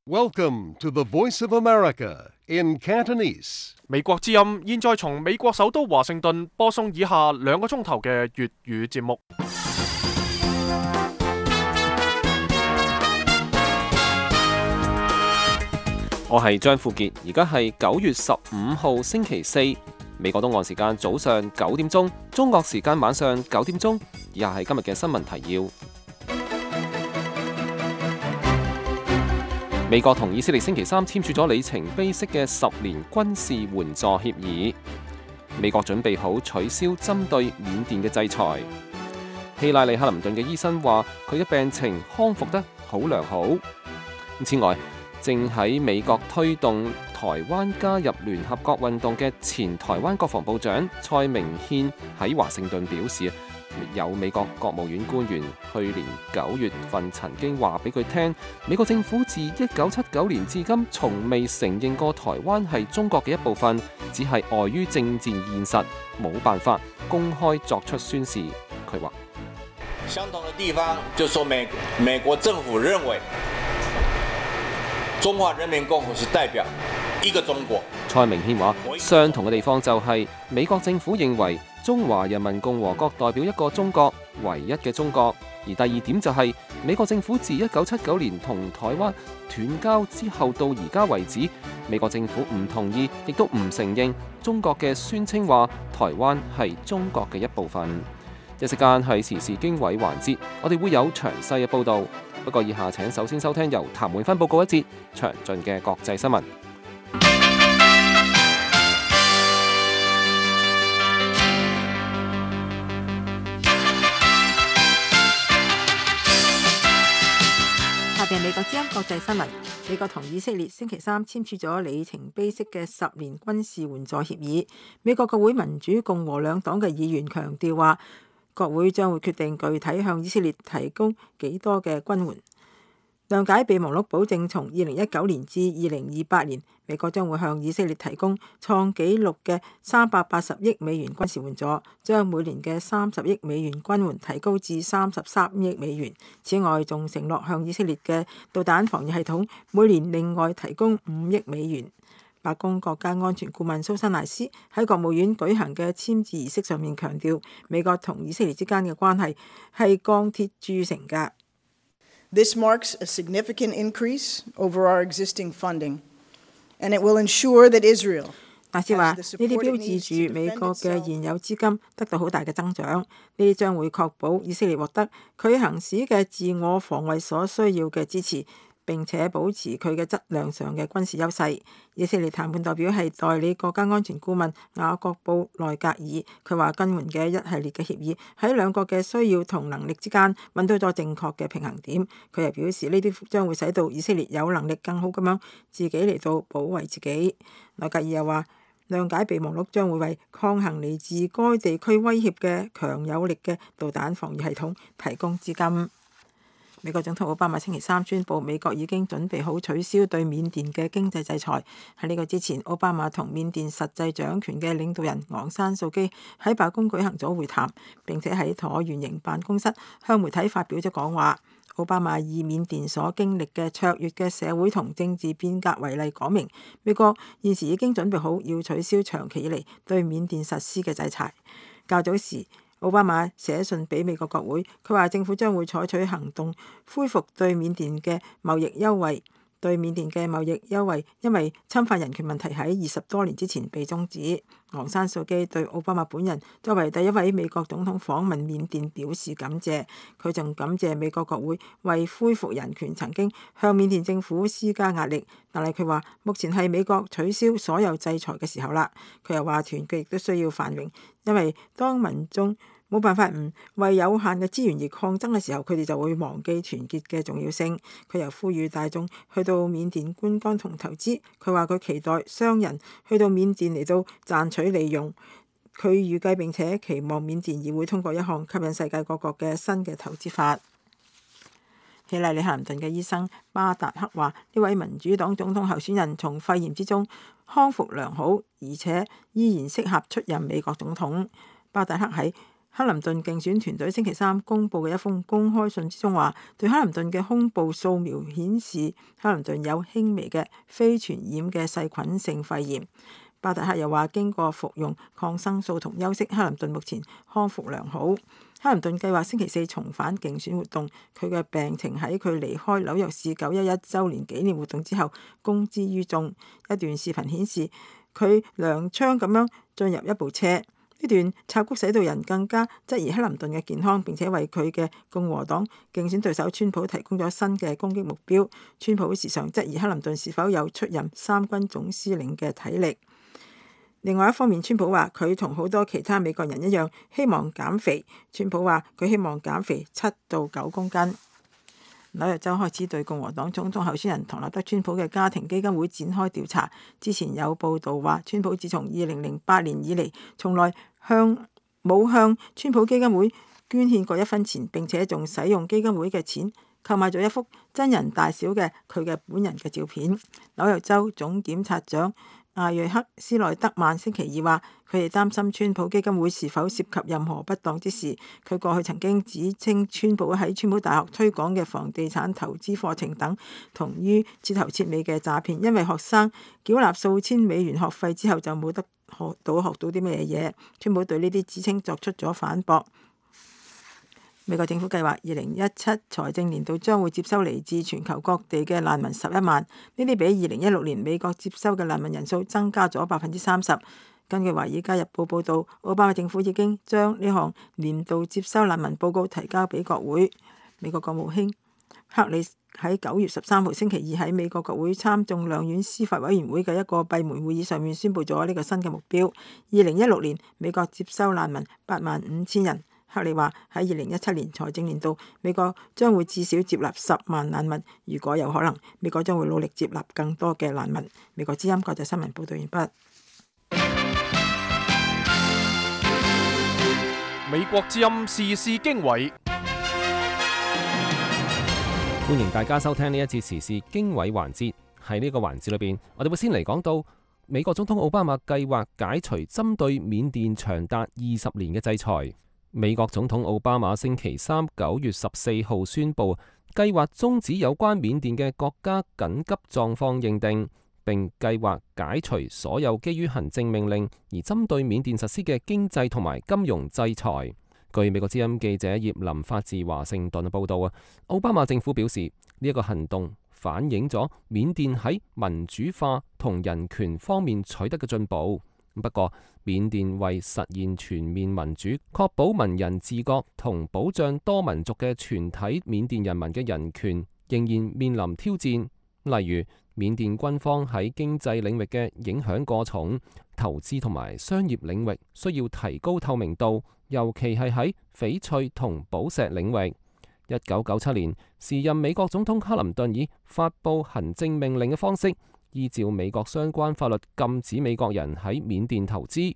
Welcome to the Voice of America in Cantonese. 美國之音現在從美國首都華盛頓播送以下2個鐘頭嘅粵語節目。我係張富傑，而家係9月15號星期四，美國東岸時間早上9點鐘，中國時間晚上9點鐘。以下係今日嘅新聞提要。美國同以色列星期三簽署咗里程碑式嘅10年軍事援助協議。美國準備好取消針對緬甸嘅制裁。希拉里克林頓嘅醫生話佢嘅病情康復得好良好。此外，正喺美國推動台灣加入聯合國運動嘅前台灣國防部長蔡明憲喺華盛頓表示，有美國國務院官員去年9月份曾經話俾佢聽，美國政府自1979年至今從未承認過台灣係中國嘅一部分，只係礙於政治現實冇辦法公開作出宣示。佢話相同的地方就說美國政府認為中華人民共和國是代表一個中國。蔡明憲話相同嘅地方就係美國政府認為中華人民共和國代表一個中國，唯一嘅中國。而第二點就係美國政府自1979年同台灣斷交之後到而家為止，美國政府唔同意亦都唔承認中國嘅宣稱話台灣係中國嘅一部分。一時間係時事經緯環節，我哋會有詳細嘅報導。不過以下請首先收聽由譚永芬報告一節詳盡嘅國際新聞。下邊美國之音國際新聞。美國同以色列星期三簽署咗里程碑式嘅10年軍事援助協議。美國國會民主共和兩黨嘅議員強調話，國會將會決定具體向以色列提供幾多嘅軍援。諒解備忘錄保證，從2019年至2028年，美國將會向以色列提供創紀錄嘅380億美元軍事援助，將每年嘅30億美元軍援提高至33億美元。此外，仲承諾向以色列嘅導彈防禦系統每年另外提供5億美元。白宮國家安全顧問蘇珊賴斯喺國務院舉行嘅簽字儀式上面強調，美國同以色列之間嘅關係係鋼鐵鑄成㗎。This marks a significant increase over our existing funding, and it will ensure that Israel 大使話：呢啲標誌住美國嘅現有資金得到好大嘅增長，呢啲將會確保以色列獲得佢行使嘅自我防衛所需要嘅支持，並且保持佢嘅質量上嘅軍事優勢。以色列談判代表係代理國家安全顧問雅各布內格爾，佢話軍援嘅一系列嘅協議喺兩國嘅需要同能力之間揾到咗正確嘅平衡點。佢又表示呢啲將會使到以色列有能力更好咁樣自己嚟到保衛自己。內格爾又話，諒解備忘錄將會為抗衡嚟自該地區威脅嘅強有力嘅導彈防禦系統提供資金。美國總統奧巴馬星期三宣布，美國已經準備好取消對緬甸嘅經濟制裁。喺呢個之前，奧巴馬同緬甸實際掌權嘅領導人昂山素基喺白宮舉行咗會談，並且喺橢圓形辦公室向媒體發表咗講話。奧巴馬以緬甸所經歷嘅卓越嘅社會同政治變革為例，講明美國現時已經準備好要取消長期以嚟對緬甸實施嘅制裁。較早時，奧巴馬寫信俾美國國會，佢話政府將會採取行動恢復對緬甸嘅貿易優惠。對緬甸嘅貿易優惠因為侵犯人權問題喺20多年之前被終止。昂山素基對奧巴馬本人作為第一位美國總統訪問緬甸表示感謝，佢仲感謝美國國會為恢復人權曾經向緬甸政府施加壓力，但係佢話目前係美國取消所有制裁嘅時候啦。佢又話團結亦都需要繁榮，因為當民眾冇辦法唔為有限嘅資源而抗爭嘅時候，佢哋就會忘記團結嘅重要性。佢又呼籲大眾去到緬甸觀光同投資。佢話佢期待商人去到緬甸嚟到賺取利用。佢預計並且期望緬甸議會通過一項吸引世界各國嘅新嘅投資法。希拉里克林頓嘅醫生巴達克話：呢位民主黨總統候選人從肺炎之中康復良好，而且依然適合出任美國總統。巴達克喺克林頓競選團隊星期三公佈嘅一封公開信之中話，對克林頓嘅胸部掃描顯示克林頓有輕微嘅非傳染嘅細菌性肺炎。巴特克又話，經過服用抗生素同休息，克林頓目前康復良好。克林頓計劃星期四重返競選活動，佢嘅病情喺佢離開紐約市911週年紀念活動之後公之於眾。一段視頻顯示佢踉蹌咁樣進入一部車，呢段插曲使到人更加質疑克林頓嘅健康，並且為佢嘅共和黨競選對手川普提供咗新嘅攻擊目標。川普時常質疑克林頓是否有出任三軍總司令嘅體力。另外一方面，川普話佢同好多其他美國人一樣希望減肥。川普話佢希望減肥7到9公斤。紐約州開始對共和黨總統候選人唐納德·川普嘅家庭基金會展開調查。之前有報道話，川普自從2008年以嚟，從來冇向川普基金會捐獻過1分錢，並且仲使用基金會嘅錢購買咗一幅真人大小嘅佢嘅本人嘅照片。紐約州總檢察長艾瑞克·斯內德曼星期二話，佢哋擔心川普基金會是否涉及任何不當之事。佢過去曾經指稱川普喺川普大學推廣嘅房地產投資課程等同於徹頭徹尾嘅詐騙，因為學生繳納數千美元學費之後就冇得學到啲咩嘢。川普對呢啲指稱作出咗反駁。美國政府計劃2017財政年度將會接收嚟自全球各地嘅難民11萬，呢啲比2016年美國接收嘅難民人數增加咗30%。根據《華爾街日報》報導，奧巴馬政府已經將呢項年度接收難民報告提交俾國會。美國國務卿克里喺9月13號星期二喺美國國會參眾兩院司法委員會嘅一個閉門會議上面宣布咗呢個新嘅目標。2016年美國接收難民85000人。克里話喺2017年財政年度，美國將會至少接納10萬難民。如果有可能，美國將會努力接納更多嘅難民。美國之音國際新聞報道完畢。美國之音時事經緯，歡迎大家收聽呢一節時事經緯環節。喺呢個環節裏邊，我哋會先嚟講到美國總統奧巴馬計劃解除針對緬甸長達20年嘅制裁。美國總統奧巴馬星期三9月14號宣布，計劃終止有關緬甸嘅國家緊急狀況認定，並計劃解除所有基於行政命令而針對緬甸實施嘅經濟同埋金融制裁。據美國之音記者葉林發自華盛頓嘅報道啊，奧巴馬政府表示呢一個行動反映咗緬甸喺民主化同人權方面取得嘅進步。不過，緬甸為實現全面民主、確保文人自覺同保障多民族嘅全體緬甸人民嘅人權，仍然面臨挑戰。例如，緬甸軍方喺經濟領域嘅影響過重，投資同埋商業領域需要提高透明度，尤其係喺翡翠同寶石領域。1997年，時任美國總統克林頓以發布行政命令嘅方式，依照美國相關法律禁止美國人喺緬甸投資，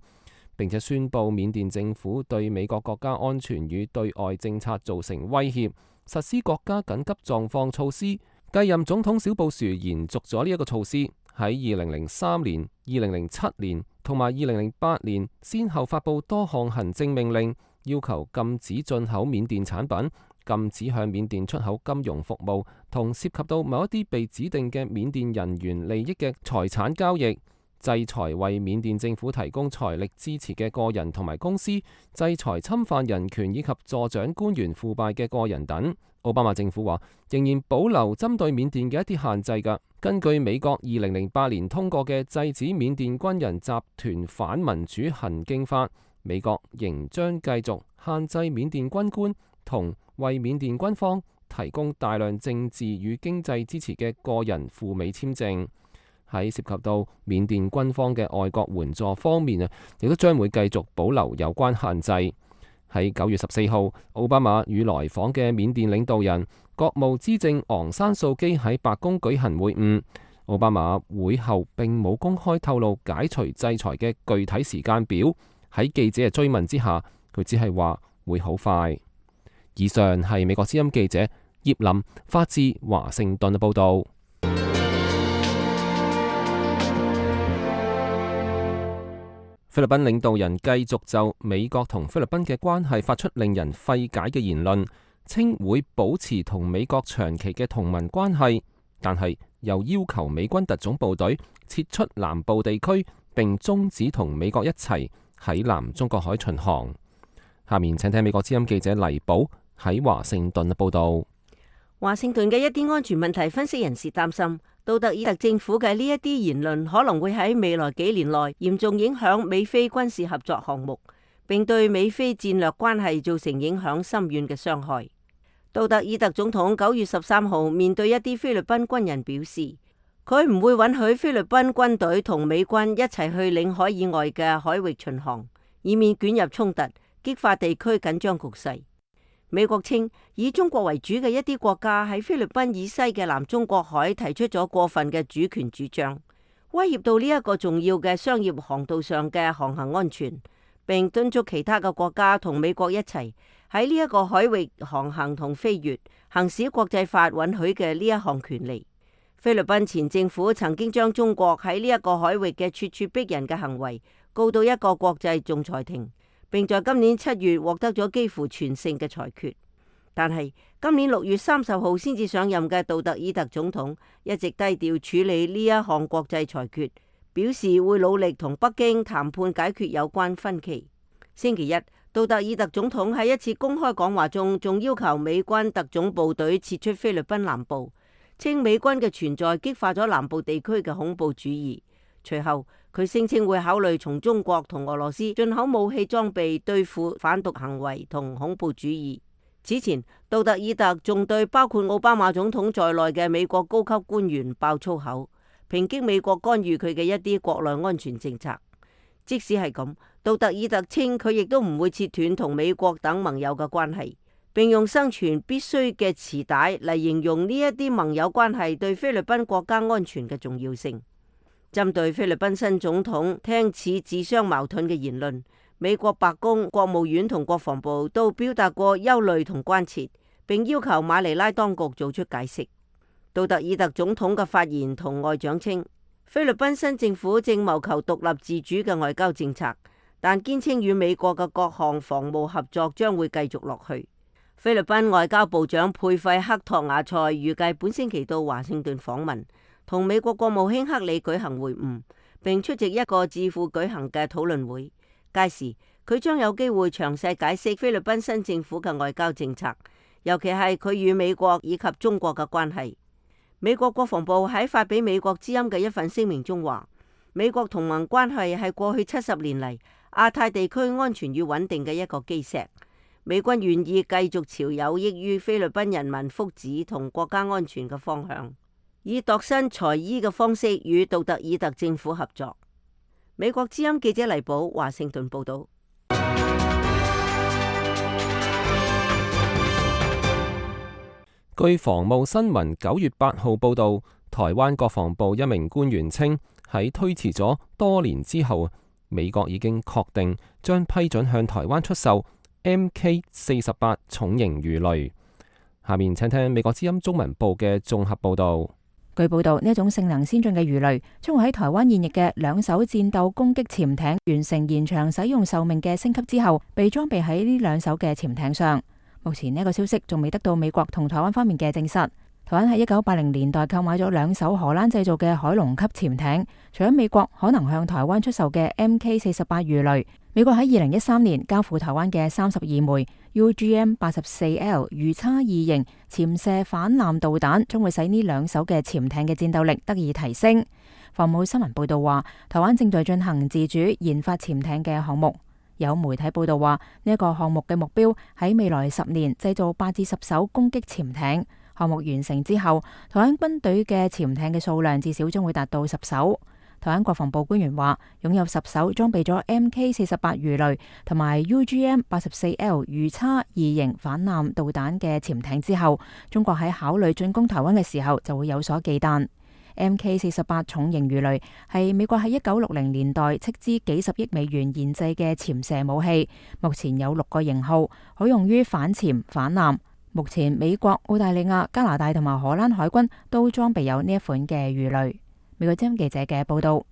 並且宣布緬甸政府對美國國家安全與對外政策造成威脅，實施國家緊急狀況措施。繼任總統小布殊延續咗呢一個措施，喺2003年、2007年同埋2008年，先後發布多項行政命令，要求禁止進口緬甸產品，禁止向緬甸出口金融服務，同涉及到某一啲被指定嘅緬甸人員利益嘅財產交易，制裁為緬甸政府提供財力支持嘅個人同埋公司，制裁侵犯人權以及助長官員腐敗嘅個人等。奧巴馬政府話仍然保留針對緬甸嘅一啲限制㗎。根據美國2008年通過嘅制止緬甸軍人集團反民主行徑法，美國仍將繼續限制緬甸軍官同為緬甸軍方提供大量政治與經濟支持嘅個人赴美簽證。喺涉及到緬甸軍方嘅外國援助方面啊，亦都將會繼續保留有關限制。喺9月14號，奧巴馬與來訪嘅緬甸領導人國務資政昂山素基喺白宮舉行會晤。奧巴馬會後並冇公開透露解除制裁嘅具體時間表。喺記者嘅追問之下，佢只係話會好快。以上係美國之音記者葉林發自華盛頓嘅報道。菲律賓領導人繼續就美國同菲律賓嘅關係發出令人費解嘅言論，稱會保持同美國長期嘅同盟關係，但係又要求美軍特種部隊撤出南部地區，並終止同美國一齊喺南中國海巡航。下面請聽美國之音記者黎寶喺華盛頓嘅報道。華盛頓嘅一啲安全問題分析人士擔心，杜特爾特政府嘅呢一啲言論可能會喺未來幾年內嚴重影響美菲軍事合作項目，並對美菲戰略關係造成影響深遠嘅傷害。杜特爾特總統9月13號面對一啲菲律賓軍人表示，佢唔會允許菲律賓軍隊同美軍一齊去領海以外嘅海域巡航，以免捲入衝突，激化地區緊張局勢。美國稱，以中國為主嘅一啲國家喺菲律賓以西嘅南中國海提出咗過分嘅主權主張，威脅到呢一個重要嘅商業航道上嘅航行安全，並敦促其他嘅國家同美國一齊喺呢一個海域航行同飛越，行使國際法允許嘅呢一項權利。菲律賓前政府曾經將中國喺呢一個海域嘅咄咄逼人嘅行為告到一個國際仲裁庭，並在今年7月獲得咗幾乎全勝嘅裁決。但係今年6月30號先至上任嘅杜特爾特總統一直低調處理呢一項國際裁決，表示會努力同北京談判解決有關分歧。星期一，杜特爾特總統喺一次公開講話中仲要求美軍特種部隊撤出菲律賓南部，稱美軍嘅存在激化咗南部地區嘅恐怖主義。隨後佢聲稱會考慮從中國同俄羅斯進口武器裝備對付販毒行為同恐怖主義。此前，杜特爾特仲對包括奧巴馬總統在內嘅美國高級官員爆粗口，抨擊美國干預佢嘅一啲國內安全政策。即使係咁，杜特爾特稱佢亦都唔會切斷同美國等盟友嘅關係，並用生存必須嘅臍帶嚟形容呢一啲盟友關係對菲律賓國家安全嘅重要性。針對菲律賓新總統聽似自相矛盾嘅言論，美國白宮、國務院同國防部都表達過憂慮同關切，並要求馬尼拉當局做出解釋。杜特爾特總統嘅發言同外長稱，菲律賓新政府正謀求獨立自主嘅外交政策，但堅稱與美國嘅各項防務合作將會繼續落去。菲律賓外交部長佩費克托亞塞預計本星期到華盛頓訪問，同美國國務卿克里舉行會晤，並出席一個智庫舉行嘅討論會。屆時佢將有機會詳細解釋菲律賓新政府嘅外交政策，尤其係佢與美國以及中國嘅關係。美國國防部喺發俾美國之音嘅一份聲明中話，美國同盟關係係過去70年嚟亞太地區安全與穩定嘅一個基石。美軍願意繼續朝有益於菲律賓人民福祉同國家安全嘅方向，以度身裁衣嘅方式與杜特爾特政府合作。美國之音記者黎寶華盛頓報道。據防務新聞9月8號報道，台灣國防部一名官員稱，喺推遲咗多年之後，美國已經確定將批准向台灣出售 MK48 重型魚雷。下面請聽美國之音中文部嘅綜合報道。據報道，呢一種性能先進嘅魚雷將會喺台灣現役嘅2艘戰鬥攻擊潛艇完成延長使用壽命嘅升級之後，被裝備喺呢2艘嘅潛艇上。目前呢個消息仲未得到美國同台灣方面嘅證實。台灣喺1980年代購買咗2艘荷蘭製造嘅海龍級潛艇，除咗美國可能向台灣出售嘅 MK48 魚雷，美國喺2013年交付台灣嘅32枚 UGM-84L 魚叉2型潛射反艦導彈，將會使呢2艘嘅潛艇嘅戰鬥力得以提升。防務新聞報道話，台灣正在進行自主研發潛艇嘅項目。有媒體報道話，呢一個項目嘅目標喺未來10年製造8至10艘攻擊潛艇。項目完成之後，台灣軍隊嘅潛艇嘅數量至少將會達到10艘。台灣國防部官員話，擁有10艘裝備咗 MK48 魚雷同埋 UGM-84L 魚叉2型反艦導彈嘅潛艇之後，中國喺考慮進攻台灣嘅時候就會有所忌憚。MK48 重型魚雷係美國喺1960年代斥資幾十億美元研製嘅潛射武器，目前有6個型號，可用於反潛反艦。目前美國、澳大利亞、加拿大同埋荷蘭海軍都裝備有呢一款嘅魚雷。美國之音記者嘅報道。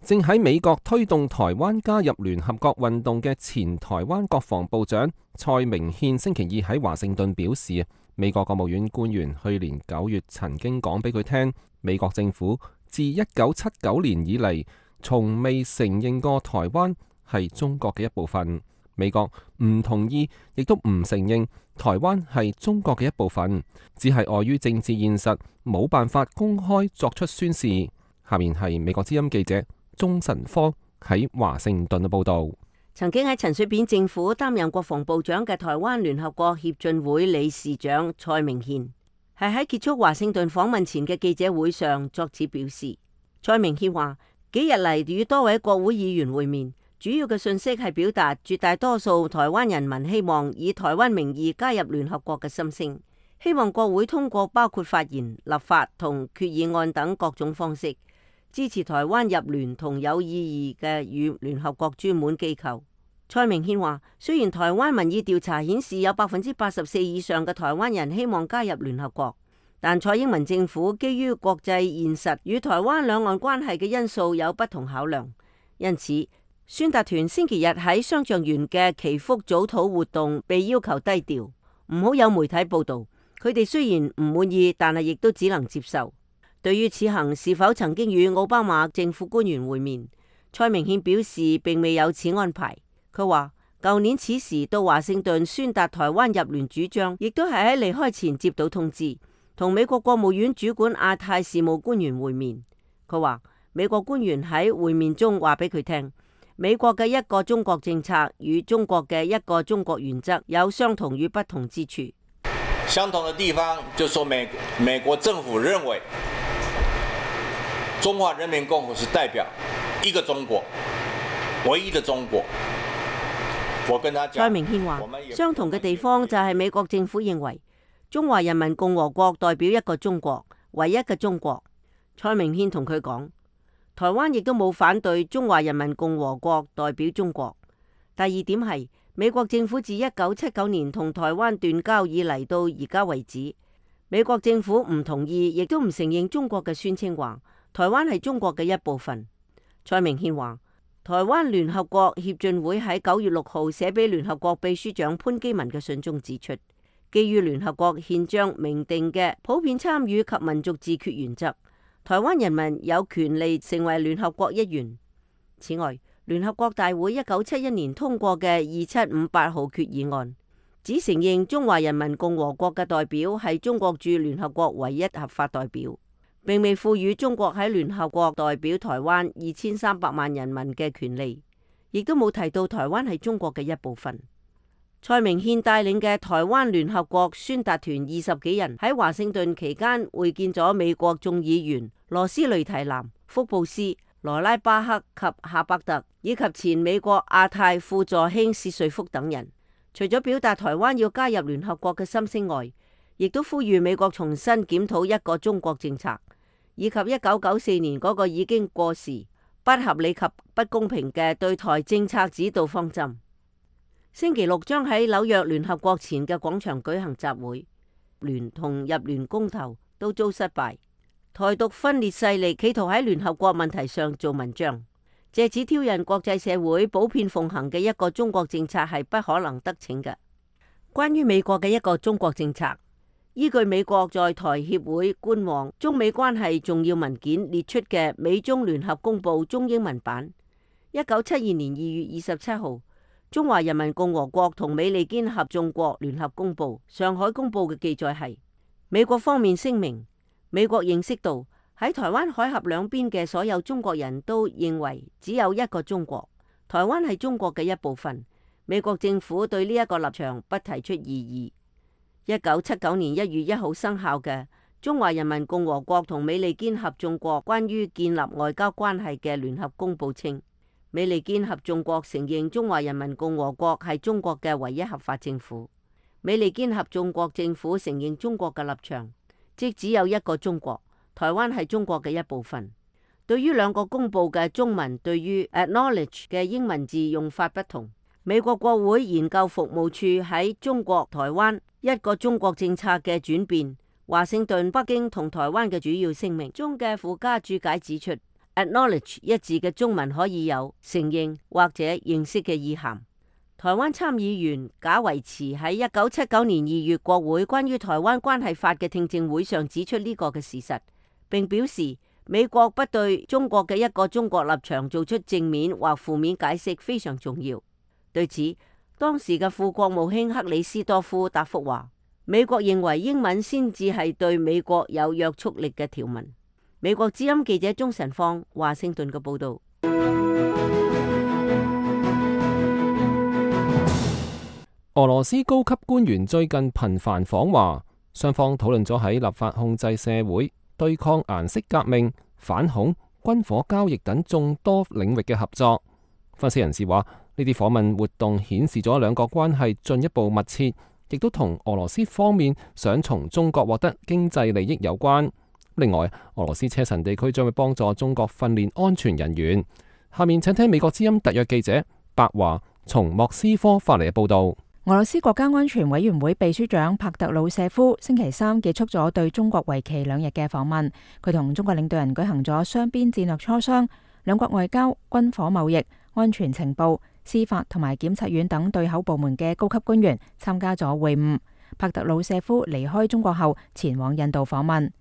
正喺美國推動台灣加入聯合國運動嘅前台灣國防部長蔡明憲星期二喺華盛頓表示，美國國務院官員去年9月曾經講俾佢聽，美國政府自1979年以嚟，從未承認過台灣係中國嘅一部分。美國唔同意，亦都唔承認台灣係中國嘅一部分，只係礙於政治現實，冇辦法公開作出宣示。下面係美國之音記者鍾晨芳喺華盛頓嘅報道。曾經喺陳水扁政府擔任國防部長嘅台灣聯合國協進會理事長蔡明憲，係喺結束華盛頓訪問前嘅記者會上作此表示。蔡明憲話：幾日嚟與多位國會議員會面，主要嘅訊息係表達絕大多數台灣人民希望以台灣名義加入聯合國嘅心聲，希望國會通過包括發言、立法同決議案等各種方式，支持台灣入聯同有意義嘅與聯合國專門機構。蔡明憲話：雖然台灣民意調查顯示有84%以上嘅台灣人希望加入聯合國，但蔡英文政府基於國際現實與台灣兩岸關係嘅因素有不同考量，因此宣達團星期日喺雙橡園嘅祈福早禱活動被要求低調，唔好有媒體報道。佢哋雖然唔滿意，但係亦都只能接受。對於此行是否曾經與奧巴馬政府官員會面，蔡明憲表示並未有此安排。佢話：舊年此時到華盛頓宣達台灣入聯主張，亦都係喺離開前接到通知，同美國國務院主管亞太事務官員會面。佢話美國官員喺會面中話俾佢聽，美國嘅一個中國政策與中國嘅一個中國原則有相同與不同之處。相同的地方就說美國政府認為中華人民共和國是代表一個中國，唯一的中國。我跟他講，蔡明憲話，相同嘅地方就係美國政府認為中華人民共和國代表一個中國，唯一嘅中國。蔡明憲同佢講，台灣亦都冇反對中華人民共和國代表中國。第二點係美國政府自1979年同台灣斷交以嚟到而家為止，美國政府唔同意，亦都唔承認中國嘅宣稱話台灣係中國嘅一部分。蔡明憲話，台灣聯合國協進會喺9月6號寫俾聯合國秘書長潘基文嘅信中指出，基於聯合國憲章明定嘅普遍參與及民族自決原則，台灣人民有權利成為聯合國一員。此外，聯合國大會1971年通過嘅2758號決議案，只承認中華人民共和國嘅代表係中國駐聯合國唯一合法代表，並未賦予中國喺聯合國代表台灣2300萬人民嘅權利，亦都冇提到台灣係中國嘅一部分。蔡明憲帶領嘅台灣聯合國宣達團20幾人喺華盛頓期間會見咗美國眾議員羅斯雷提南、福布斯、羅拉巴克及夏伯特，以及前美國亞太副助卿薛瑞福等人。除咗表達台灣要加入聯合國嘅心聲外，亦都呼籲美國重新檢討一個中國政策，以及1994年嗰個已經過時、不合理及不公平嘅對台政策指導方針。星期六將喺紐約聯合國前嘅廣場舉行集會，聯同入聯公投都遭失敗。台獨分裂勢力企圖喺聯合國問題上做文章，借此挑釁國際社會普遍奉行嘅一個中國政策係不可能得逞嘅。關於美國嘅一個中國政策，依據美國在台協會官網中美關係重要文件列出嘅美中聯合公報中英文版，1972年2月27號，中華人民共和國同美利堅合眾國聯合公報上海公報嘅記載係，美國方面聲明，美國認識到喺台灣海峽兩邊嘅所有中國人都認為只有一個中國，台灣係中國嘅一部分。美國政府對呢一個立場不提出異議。1979年1月1號生效嘅中華人民共和國同美利堅合眾國關於建立外交關係嘅聯合公報稱，美利堅合眾國承認中華人民共和國係中國嘅唯一合法政府。美利堅合眾國政府承認中國嘅立場，即只有一個中國，台灣係中國嘅一部分。對於兩個公報嘅中文對於 acknowledge 嘅英文字用法不同，美國國會研究服務處喺中國台灣一個中國政策嘅轉變，華盛頓、北京同台灣嘅主要聲明中嘅附加注解指出 acknowledge 一字嘅中文可以有承認或者認識嘅意涵。台灣參議員賈維慈喺1979年2月國會關於台灣關係法嘅聽證會上指出呢個嘅事實，並表示美國不對中國嘅一個中國立場做出正面或負面解釋非常重要。對此，當時嘅副國務卿克里斯多夫答覆話，美國認為英文先至係對美國有約束力嘅條文。美國之音記者鍾晨芳華盛頓嘅報道。俄羅斯高級官員最近頻繁訪華，雙方討論咗喺立法控制社會、對抗顏色革命、反恐、軍火交易等眾多領域嘅合作。分析人士話，呢啲訪問活動顯示咗兩國關係進一步密切，亦都同俄羅斯方面想從中國獲得經濟利益有關。另外，俄羅斯車臣地區將會幫助中國訓練安全人員。下面請聽美國之音特約記者白華從莫斯科發嚟嘅報道。俄羅斯國家安全委員會秘書長帕特魯舍夫星期三結束咗對中國為期2日嘅訪問，佢同中國領導人舉行咗雙邊戰略磋商，兩國外交、軍火貿易、安全情報、司法同埋檢察院等對口部門嘅高級官員參加咗會晤。帕特魯舍夫離開中國後前往印度訪問。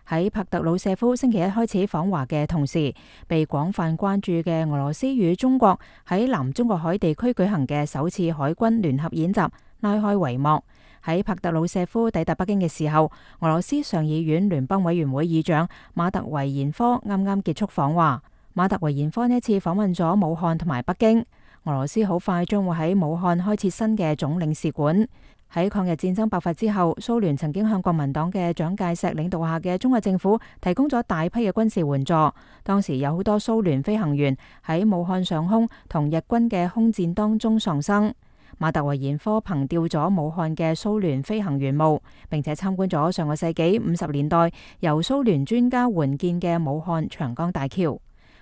喺帕特魯舍夫星期一開始訪華嘅同時，被廣泛關注嘅俄羅斯與中國喺南中國海地區舉行嘅首次海軍聯合演習拉開帷幕。喺帕特魯舍夫抵達北京嘅時候，俄羅斯上議院聯邦委員會議長馬特維延科啱啱結束訪華。馬特維延科呢次訪問咗武漢同埋北京。俄羅斯好快將會喺武漢開設新嘅總領事館。喺抗日戰爭爆發之後，蘇聯曾經向國民黨嘅蔣介石領導下嘅中國政府提供咗大批嘅軍事援助。當時有好多蘇聯飛行員喺武漢上空同日軍嘅空戰當中喪生。馬特維延科憑吊咗武漢嘅蘇聯飛行員墓，並且參觀咗上個世紀50年代由蘇聯專家援建嘅武漢長江大橋。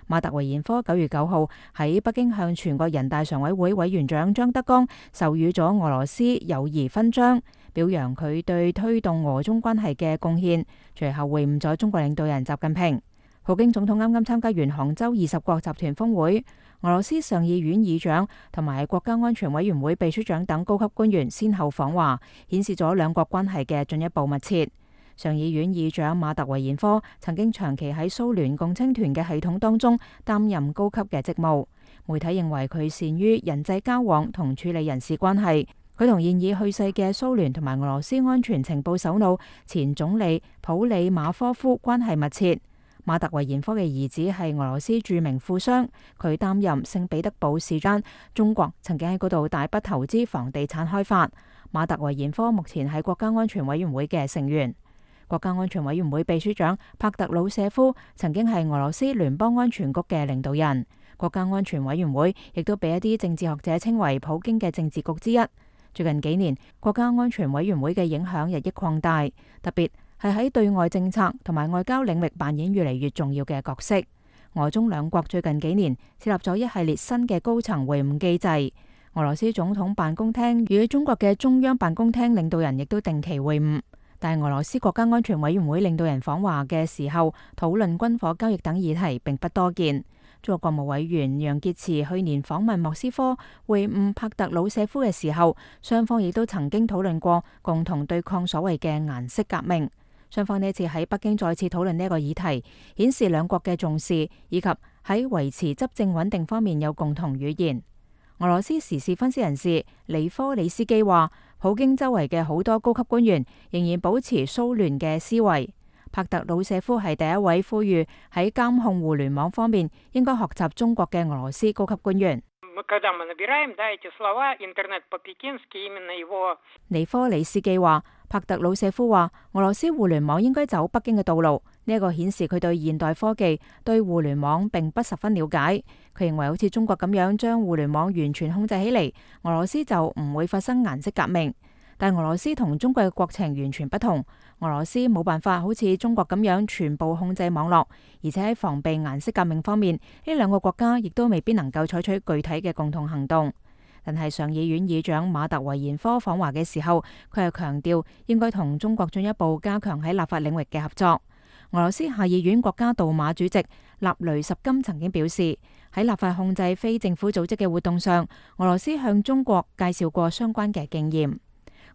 馬特維延科9月9號喺北京向全國人大常委會委員長張德江授予咗俄羅斯友誼勳章，表揚佢對推動俄中關係嘅貢獻。隨後會晤咗中國領導人習近平。普京總統啱啱參加完杭州20國集團峰會，俄羅斯上議院議長同埋國家安全委員會秘書長等高級官員先後訪華，顯示咗兩國關係嘅進一步密切。上議院議長馬特維延科曾經長期喺蘇聯共青團嘅系統當中擔任高級嘅職務。媒體認為佢善於人際交往同處理人事關係。佢同現已去世嘅蘇聯同埋俄羅斯安全情報首腦前總理普里馬科夫關係密切。馬特維延科嘅兒子係俄羅斯著名富商，佢擔任聖彼得堡市長。中國曾經喺嗰度大筆投資房地產開發。馬特維延科目前係國家安全委員會嘅成員。國家安全委員會秘書長帕特魯舍夫曾經係俄羅斯聯邦安全局嘅領導人。國家安全委員會亦都被一啲政治學者稱為普京嘅政治局之一。最近幾年，國家安全委員會嘅影響日益擴大，特別係喺對外政策同埋外交領域扮演越嚟越重要嘅角色。俄中兩國最近幾年設立咗一系列新嘅高層會晤機制。俄羅斯總統辦公廳與中國嘅中央辦公廳領導人亦都定期會晤。但係俄羅斯國家安全委員會領導人訪華嘅時候，討論軍火交易等議題並不多見。中國國務委員楊潔篪去年訪問莫斯科會晤帕特魯舍夫嘅時候，雙方亦都曾經討論過共同對抗所謂嘅顏色革命。雙方呢次喺北京再次討論呢一個議題，顯示兩國嘅重視以及喺維持執政穩定方面有共同語言。俄羅斯時事分析人士尼科里斯基話，普京周圍嘅好多高級官員仍然保持蘇聯嘅思維。帕特魯舍夫係第一位呼籲喺監控互聯網方面應該學習中國嘅俄羅斯高級官員。尼科里斯基話，帕特魯舍夫話，俄羅斯互聯網應該走北京嘅道路。呢一個顯示佢對現代科技、對互聯網並不十分了解。佢認為好似中國咁樣將互聯網完全控制起嚟，俄羅斯就唔會發生顏色革命。但俄羅斯同中國嘅國情完全不同，俄羅斯冇辦法好似中國咁樣全部控制網絡，而且喺防備顏色革命方面，呢兩個國家亦都未必能夠採取具體嘅共同行動。但係上議院議長馬特維延科訪華嘅時候，佢係強調應該同中國進一步加強喺立法領域嘅合作。俄羅斯下議院國家杜馬主席納雷什金曾經表示，喺立法控制非政府組織嘅活動上，俄羅斯向中國介紹過相關嘅經驗。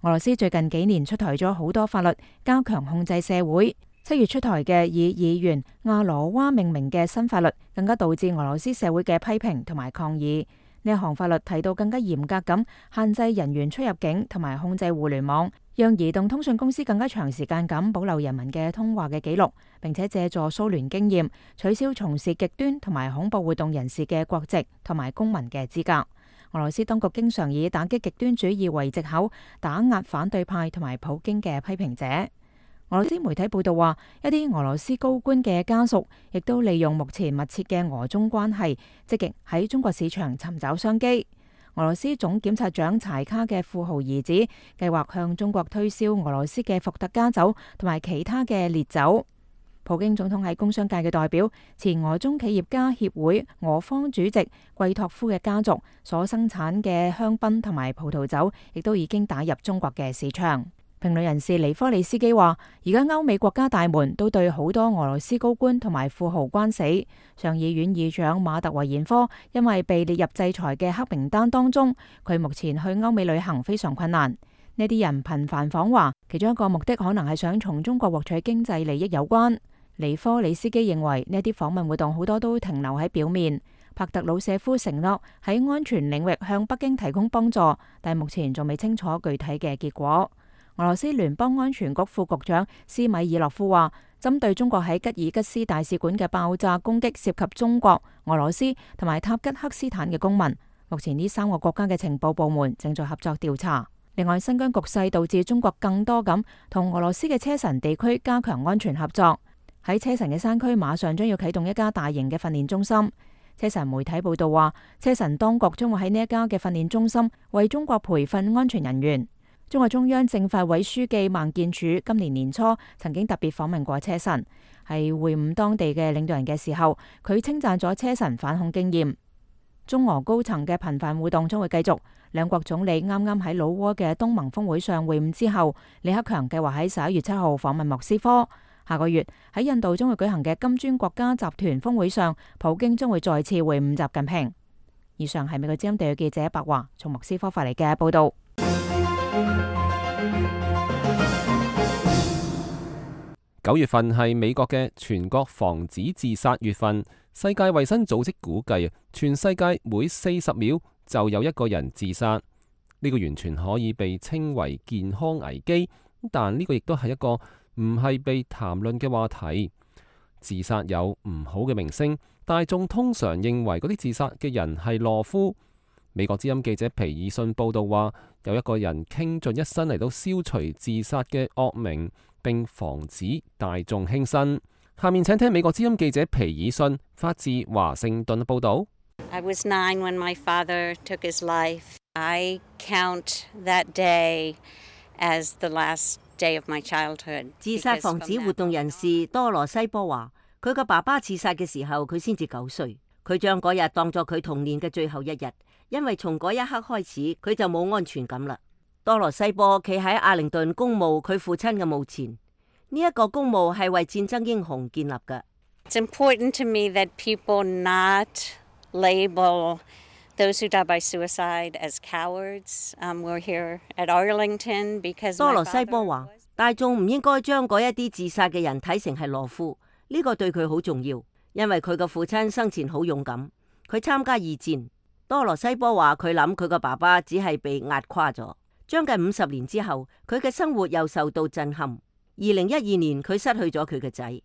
俄羅斯最近幾年出台咗好多法律，加強控制社會。7月出台嘅以議員亞羅娃命名嘅新法律，更加導致俄羅斯社會嘅批評同埋抗議。呢一項法律提到更加嚴格咁限制人員出入境同埋控制互聯網，讓移動通訊公司更加長時間咁保留人民嘅通話嘅記錄，並且借助蘇聯經驗，取消從事極端同埋恐怖活動人士嘅國籍同埋公民嘅資格。俄羅斯當局經常以打擊極端主義為藉口，打壓反對派同埋普京嘅批評者。俄羅斯媒體報道話，一啲俄羅斯高官嘅家屬亦都利用目前密切嘅俄中關係，積極喺中國市場尋找商機。俄羅斯總檢察長柴卡嘅富豪兒子計劃向中國推銷俄羅斯嘅伏特加酒同埋其他嘅烈酒。普京總統喺工商界嘅代表、前俄中企業家協會俄方主席季托夫嘅家族所生產嘅香檳同埋葡萄酒，亦都已經打入中國嘅市場。評論人士尼科里斯基話，而家歐美國家大門都對好多俄羅斯高官同埋富豪關死。上議院議長馬特維延科因為被列入制裁嘅黑名單當中，佢目前去歐美旅行非常困難。呢啲人頻繁訪華，其中一個目的可能係想從中國獲取經濟利益有關。尼科里斯基認為呢啲訪問活動好多都停留喺表面。帕特魯舍夫承諾喺安全領域向北京提供幫助，但目前仲未清楚具體嘅結果。俄羅斯聯邦安全局副局長斯米爾諾夫話，針對中國喺吉爾吉斯大使館嘅爆炸攻擊涉及中國、俄羅斯同埋塔吉克斯坦嘅公民。目前呢3個國家嘅情報部門正在合作調查。另外，新疆局勢導致中國更多咁同俄羅斯嘅車臣地區加強安全合作。喺車臣嘅山區馬上將要啟動一家大型嘅訓練中心。車臣媒體報道話，車臣當局將會喺呢一家嘅訓練中心為中國培訓安全人員。中國中央政法委書記孟建柱今年年初曾經特別訪問過車臣，喺會晤當地嘅領導人嘅時候，佢稱讚咗車臣反恐經驗。中俄高層嘅頻繁互動將會繼續。兩國總理啱啱喺老撾嘅東盟峰會上會晤之後，李克強計劃喺11月7號訪問莫斯科。下個月喺印度將會舉行嘅金磚國家集團峰會上，普京將會再次會晤習近平。以上係美國之音地記者白華從莫斯科發嚟嘅報道。9月份係美國嘅全國防止自殺月份。世界衛生組織估計，全世界每40秒就有一個人自殺。呢個完全可以被稱為健康危機，但呢個亦都係一個唔係被談論嘅話題。自殺有唔好嘅名聲，大眾通常認為嗰啲自殺嘅人係懦夫。美國之音記者皮爾遜報道話，有一個人傾盡一生嚟到消除自殺嘅惡名，並防止大眾輕生。下面請聽美國之音記者皮爾遜發自華盛頓報道。I was 9 when my father took his life. I count that day as the last day of my childhood. 自殺防止活動人士多羅西波話，佢個爸爸自殺嘅時候，佢先至9歲。佢將嗰日當作佢童年嘅最後一日，因為從嗰一刻開始，佢就冇安全感啦。多羅西波企喺阿靈頓公墓佢父親嘅墓前，呢一個公墓係為戰爭英雄建立嘅。It's important to me that people not label those who die by suicide as cowards. We're here at Arlington because 多羅西波話，大眾唔應該將嗰一啲自殺嘅人睇成係懦夫，呢個對佢好重要，因為佢個父親生前好勇敢，佢參加2戰。多羅西波話佢諗佢個爸爸只係被壓垮咗。將近50年之後，佢嘅生活又受到震撼。2012年佢失去咗佢嘅仔。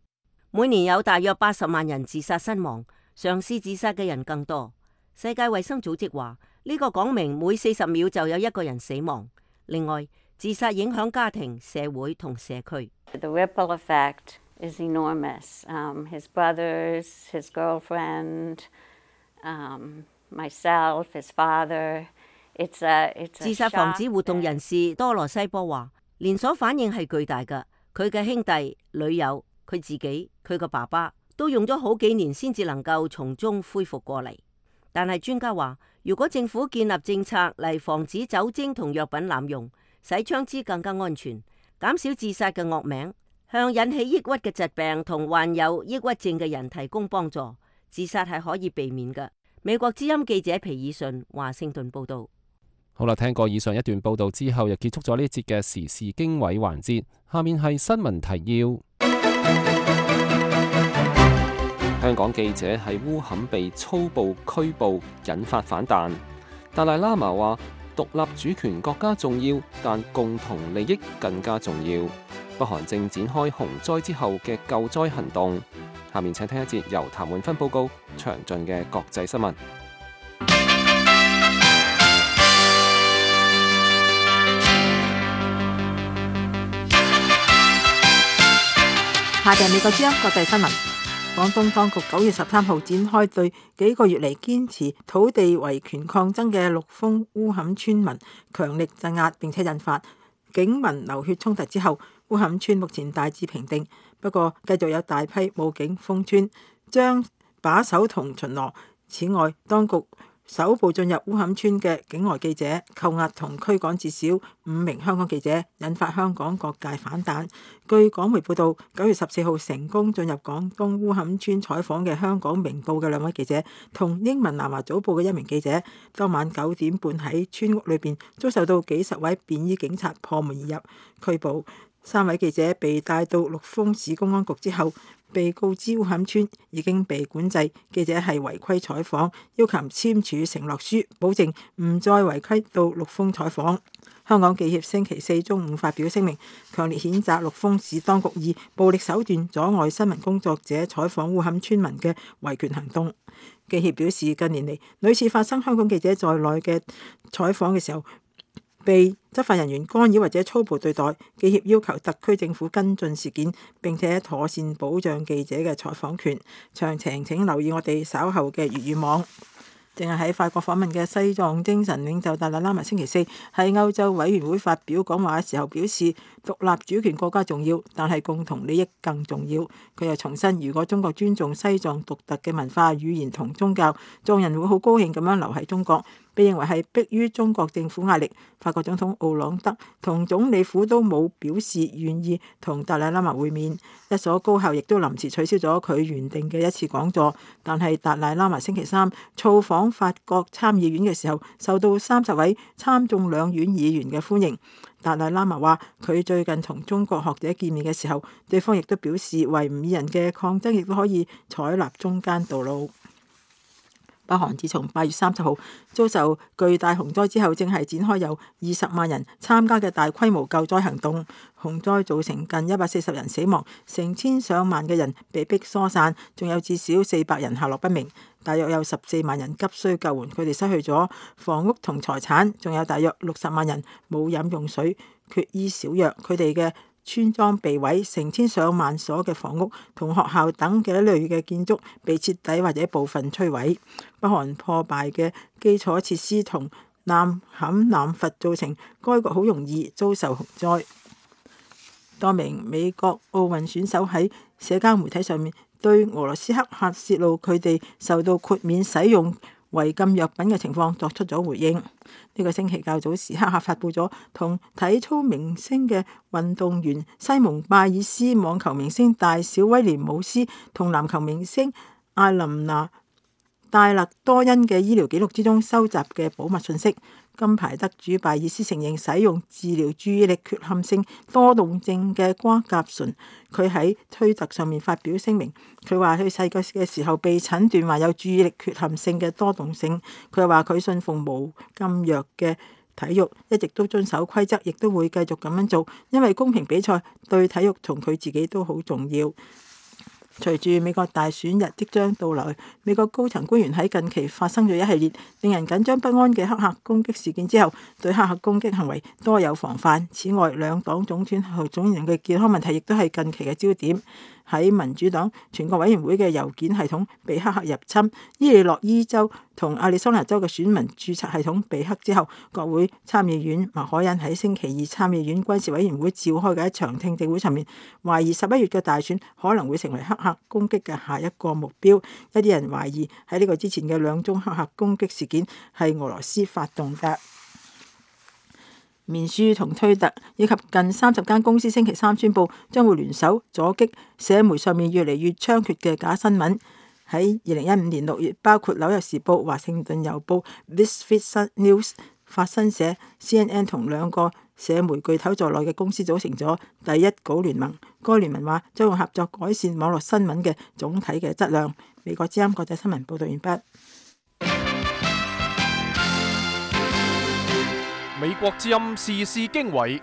每年有大約80萬人自殺身亡，嘗試自殺嘅人更多。世界衛生組織話呢個講明每40秒就有一個人死亡。另外，自殺影響家庭、社會同社區。The ripple effect is enormous. His brothers, his girlfriend, myself, his father. It's a 自殺防止活動人士多羅西波話，連鎖反應係巨大㗎。佢嘅兄弟、女友、佢自己、佢個爸爸都用咗好幾年先至能夠從中恢復過嚟。但係專家話，如果政府建立政策嚟防止酒精同藥品濫用，使槍支更加安全，減少自殺嘅惡名，向引起抑鬱嘅疾病同患有抑鬱症嘅人提供幫助。自殺係可以避免嘅。美國之音記者皮爾遜華盛頓報道。好啦，聽過以上一段報道之後，又結束咗呢節嘅時事經緯環節。下面係新聞提要。香港記者喺烏坎被粗暴拘捕，引發反彈。達賴喇嘛話：獨立主權國家重要，但共同利益更加重要。北韓正展開洪災之後嘅救災行動。下面請聽一節由譚滿芬報告詳盡嘅國際新聞。下邊美國之音國際新聞。廣東當局9月13號展開對幾個月嚟堅持土地維權抗爭嘅陸豐烏坎村民強力鎮壓，並且引發警民流血衝突之後，烏坎村目前大致平定，不過繼續有大批武警封村，將把守同巡邏。此外，當局首部進入烏坎村嘅境外記者扣押同驅趕至少5名香港記者，引發香港各界反彈。據港媒報道，9月14號成功進入廣東烏坎村採訪嘅香港明報嘅2位記者同英文南華早報嘅1名記者，當晚9點半喺村屋裏邊遭受到幾十位便衣警察破門而入拘捕。3位記者被帶到陸豐市公安局之後，被告知烏坎村已經被管制，記者係違規採訪，要求簽署承諾書，保證唔再違規到陸豐採訪。香港記協星期4中午發表聲明，強烈譴責陸豐市當局以暴力手段阻礙新聞工作者採訪烏坎村民嘅維權行動。記協表示，近年嚟屢次發生香港記者在內嘅採訪嘅時候被執法人員干擾或者粗暴對待，記協要求特區政府跟進事件，並且妥善保障記者嘅採訪權。詳情請留意我哋稍後嘅粵語網。正係喺法國訪問嘅西藏精神領袖達賴喇嘛星期4喺歐洲委員會發表講話嘅時候表示，獨立主權國家重要，但係共同利益更重要。佢又重申，如果中國尊重西藏獨特嘅文化、語言同宗教，藏人會好高興咁樣留喺中國。被認為係迫於中國政府壓力，法國總統奧朗德同總理府都冇表示願意同達賴喇嘛會面。一所高校亦都臨時取消咗佢原定嘅一次講座。但係達賴喇嘛星期3造訪法國參議院嘅時候，受到30位參眾兩院議員嘅歡迎。達賴喇嘛話：佢最近同中國學者見面嘅時候，對方亦都表示維吾爾人嘅抗爭亦都可以採納中間道路。北韓自從8月30號遭受巨大洪災之後，正係展開由20萬人參加嘅大規模救災行動。洪災造成近140人死亡，成千上萬嘅人被迫疏散，仲有至少400人下落不明。大約有14萬人急需救援，佢哋失去咗房屋同財產，仲有大約60萬人冇飲用水、缺衣少藥，佢哋嘅村莊被毀，成千上萬所嘅房屋同學校等嘅一類嘅建築被徹底或者部分摧毀。北韓破敗嘅基礎設施同濫砍濫伐造成該國好容易遭受洪災。多名美國奧運選手喺社交媒體上面對俄羅斯黑客泄露佢哋受到豁免使用違禁藥品嘅情況作出咗回應。呢個星期較早時，黑客發布咗同體操明星嘅運動員西蒙拜爾斯、網球明星大小威廉姆斯同籃球明星艾琳娜戴勒多恩嘅醫療記錄之中收集嘅保密信息。金牌得主拜爾斯承認使用治療注意力缺陷性多動症嘅瓜甲醇。佢喺推特上面發表聲明，佢話佢細個嘅時候被診斷患有注意力缺陷性嘅多動性。佢話佢信奉無禁藥嘅體育，一直都遵守規則，亦都會繼續咁樣做，因為公平比賽對體育同佢自己都好重要。隨住美國大選日即將到來，美國高層官員喺近期發生咗一系列令人緊張不安嘅黑客攻擊事件之後，對黑客攻擊行為多有防範。此外，兩黨總統候選人嘅健康問題亦都係近期嘅焦點。喺民主黨全國委員會嘅郵件系統被黑客入侵，伊利諾伊州同亞利桑那州嘅選民註冊系統被黑之後，國會參議院麥凱恩喺星期2參議院軍事委員會召開嘅一場聽證會上面，懷疑11月嘅大選可能會成為黑客攻擊嘅下一個目標。一啲人懷疑喺呢個之前嘅2宗黑客攻擊事件係俄羅斯發動嘅。面書同推特以及近30間公司星期三宣布將會聯手阻擊社媒上面越嚟越猖獗嘅假新聞。喺2015年6月，包括紐約時報、華盛頓郵報、This Week News、法新社、CNN 同2個社媒巨頭在內嘅公司組成咗第一稿聯盟。該聯盟話將會合作改善網絡新聞嘅總體嘅質量。美國之音國際新聞報道完畢。美國之音時事經緯，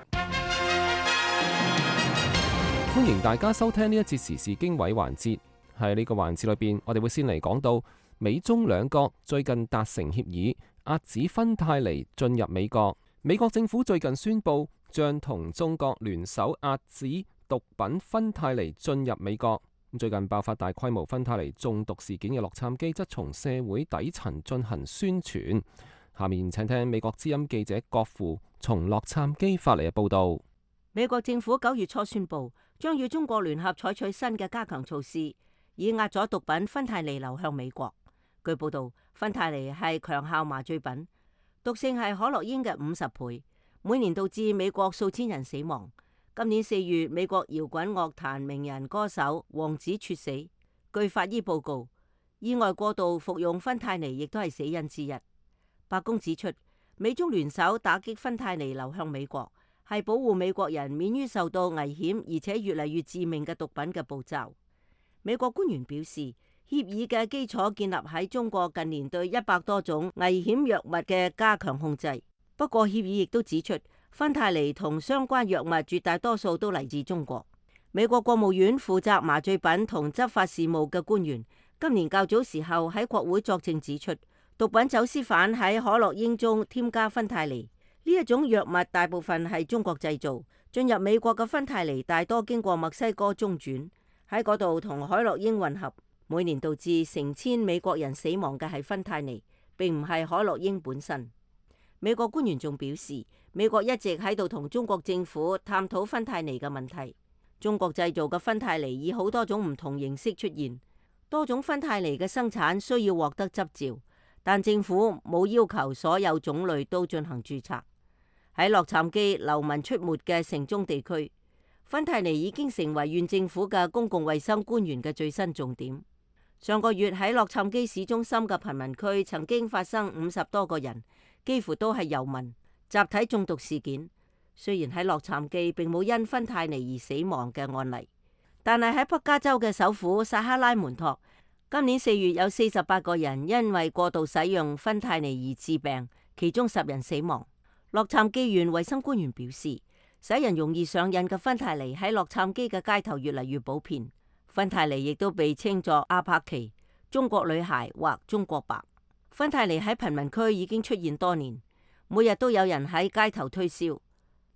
歡迎大家收聽呢一節時事經緯環節。喺呢個環節裏邊，我哋會先嚟講到美中兩國最近達成協議，遏止芬太尼進入美國。美國政府最近宣布將同中國聯手遏止毒品芬太尼進入美國。最近爆發大規模芬太尼中毒事件嘅洛杉磯則從社會底層進行宣傳。下面請聽美國之音記者郭富從洛杉磯發嚟嘅報道。美國政府9月初宣布，將與中國聯合採取新嘅加強措施，以壓阻毒品芬太尼流向美國。據報道，芬太尼係強效麻醉品，毒性係可樂煙嘅50倍，每年導致美國數千人死亡。今年4月，美國搖滾樂壇名人歌手王子猝死。據法醫報告，意外過度服用芬太尼亦都係死因之一。白宮指出，美中聯手打擊芬太尼流向美國，係保護美國人免於受到危險而且越嚟越致命嘅毒品嘅步驟。美國官員表示，協議嘅基礎建立喺中國近年對100多種危險藥物嘅加強控制。不過，協議亦都指出，芬太尼同相關藥物絕大多數都嚟自中國。美國國務院負責麻醉品同執法事務嘅官員今年較早時候喺國會作證指出，毒品走私犯喺可樂煙中添加芬太尼，呢一種藥物大部分係中國製造。進入美國嘅芬太尼大多經過墨西哥中轉，喺嗰度同海洛因混合。每年導致成千美國人死亡嘅係芬太尼，並唔係海洛因本身。美國官員仲表示，美國一直喺度同中國政府探討芬太尼嘅問題。中國製造嘅芬太尼以好多種唔同形式出現，多種芬太尼嘅生產需要獲得執照。但政府冇要求所有種類都進行註冊。喺洛杉磯流民出沒嘅城中地區，芬太尼已經成為縣政府嘅公共衛生官員嘅最新重點。上個月喺洛杉磯市中心嘅貧民區曾經發生50多個人，幾乎都係遊民集體中毒事件。雖然喺洛杉磯並冇因芬太尼而死亡嘅案例，但係喺北加州嘅首府薩克拉門托，今年4月有48個人因為過度使用芬太尼而致病，其中10人死亡。洛杉磯縣衛生官員表示，使人容易上癮嘅芬太尼喺洛杉磯嘅街頭越嚟越普遍。芬太尼亦都被稱作阿帕奇、中國女孩或中國白。芬太尼喺貧民區已經出現多年，每日都有人喺街頭推銷，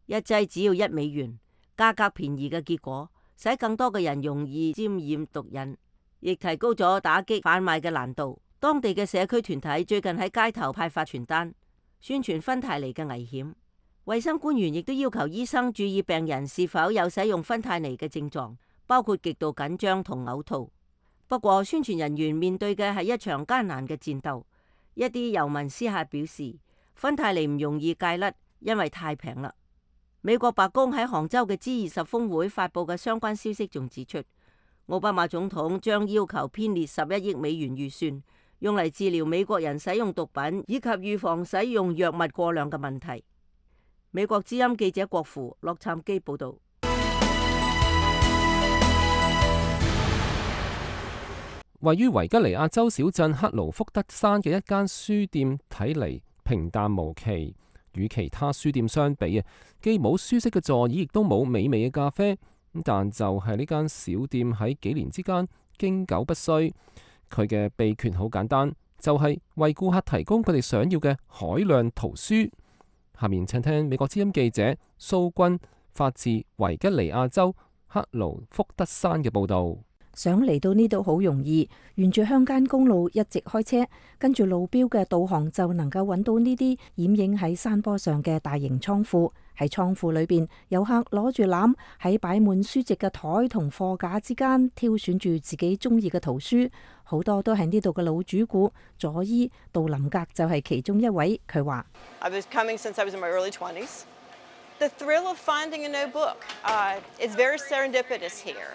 一劑只要$1，價格便宜嘅結果，使更多嘅人容易沾染毒癮，亦提高咗打擊販賣嘅難度。當地嘅社區團體最近喺街頭派發傳單，宣傳芬太尼嘅危險。衛生官員亦都要求醫生注意病人是否有使用芬太尼嘅症狀，包括極度緊張同嘔吐。不過，宣傳人員面對嘅係一場艱難嘅戰鬥。一啲遊民私下表示，芬太尼唔容易戒甩，因為太平啦。美國白宮喺杭州嘅 G20 峰會發佈嘅相關消息仲指出，奧巴馬總統將要求編列11億美元預算，用嚟治療美國人使用毒品以及預防使用藥物過量嘅問題。美國之音記者郭富洛杉磯報道。位於維吉尼亞州小鎮克勞福德山嘅一間書店睇嚟平淡無奇，與其他書店相比啊，既冇舒適嘅座椅，亦都冇美味嘅咖啡。但就係呢間小店喺幾年之間經久不衰，佢嘅秘訣好簡單，就係為顧客提供佢哋想要嘅海量圖書。下面請聽美國之音記者蘇君發自維吉尼亞州克勞福德山嘅報道。想嚟到呢度好容易，沿住鄉間公路一直開車，跟住路標嘅導航就能夠揾到呢啲掩映喺山坡上嘅大型倉庫。喺倉庫裏邊，遊客攞住籃喺擺滿書籍嘅台同貨架之間挑選住自己中意嘅圖書，好多都係呢度嘅老主顧。佐伊杜林格就係其中一位，佢話： The thrill of finding a new book is very serendipitous here.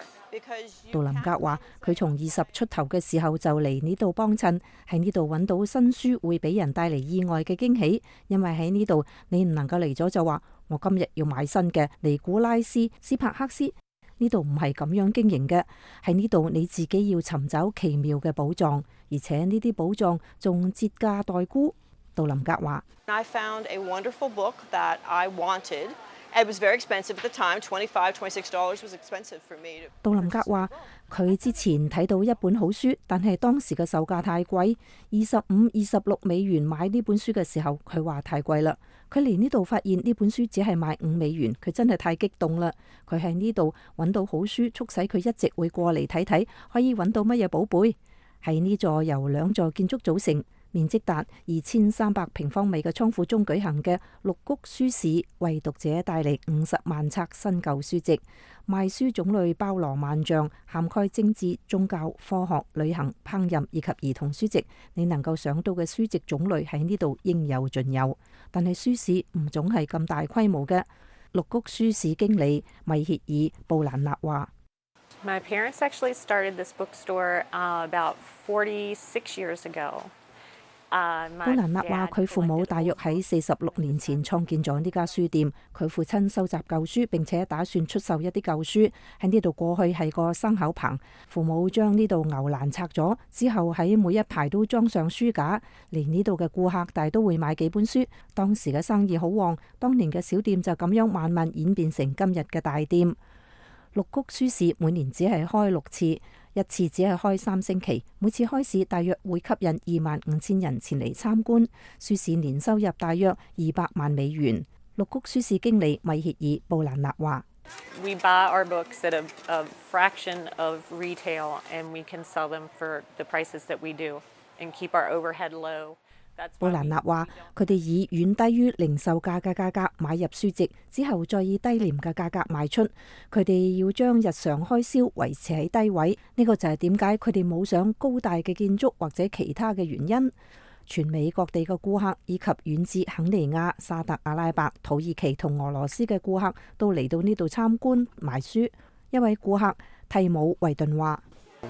杜林格話：佢從20出頭嘅時候就嚟呢度幫襯，喺呢度揾到新書會俾人帶嚟意外嘅驚喜，因為喺呢度你唔能夠嚟咗就話我今日要買新嘅尼古拉斯斯帕克斯，呢度唔係咁樣經營嘅，喺呢度你自己要尋找奇妙嘅寶藏，而且呢啲寶藏仲折價待沽。杜林格話：I found a wonderful book that I wanted. It was very expensive at the time. $25–26 was expensive for me. 杜林格話：佢之前睇到一本好書，但係當時嘅售價太貴，$25–26買呢本書嘅時候，佢話太貴啦。佢嚟呢度發現呢本書只係賣$5，佢真係太激動啦。佢喺呢度揾到好書，促使佢一直會過嚟睇睇，可以揾到乜嘢寶貝。喺呢座由2座建築組成，面積達2300平方米嘅倉庫中舉行嘅綠谷書市，為讀者帶嚟50萬冊新舊書籍。賣書種類包羅萬象，涵蓋政治、宗教、科學、旅行、烹飪以及兒童書籍。你能夠想到嘅書籍種類喺呢度應有盡有。但係書市唔總係咁大規模嘅。綠谷書市經理米歇爾布蘭納話：My parents actually started this bookstore about 46 years ago. 布蘭納話：佢父母大約喺46年前創建咗呢家書店。佢父親收集舊書，並且打算出售一啲舊書。喺呢度過去係個牲口棚，父母將呢度牛欄拆咗之後，喺每一排都裝上書架。嚟呢度嘅顧客大都會買幾本書。當時嘅生意好旺，當年嘅小店就咁樣慢慢演變成今日嘅大店。綠谷書市每年只係開6次，一次只係開3星期，每次開市大約會吸引25,000人前嚟參觀。書市年收入大約$200萬。綠谷書市經理米歇爾布蘭納話：We buy our books at a fraction of retail, and we can sell them for the prices that we do, and keep our overhead low. 布蘭納話：佢哋以遠低於零售價嘅價格買入書籍，之後再以低廉嘅價格賣出。佢哋要將日常開銷維持喺低位，呢個就係點解佢哋冇上高大嘅建築或者其他嘅原因。全美各地嘅顧客以及遠至肯尼亞、沙特阿拉伯、土耳其同俄羅斯嘅顧客都嚟到呢度參觀買書。一位顧客蒂姆維頓話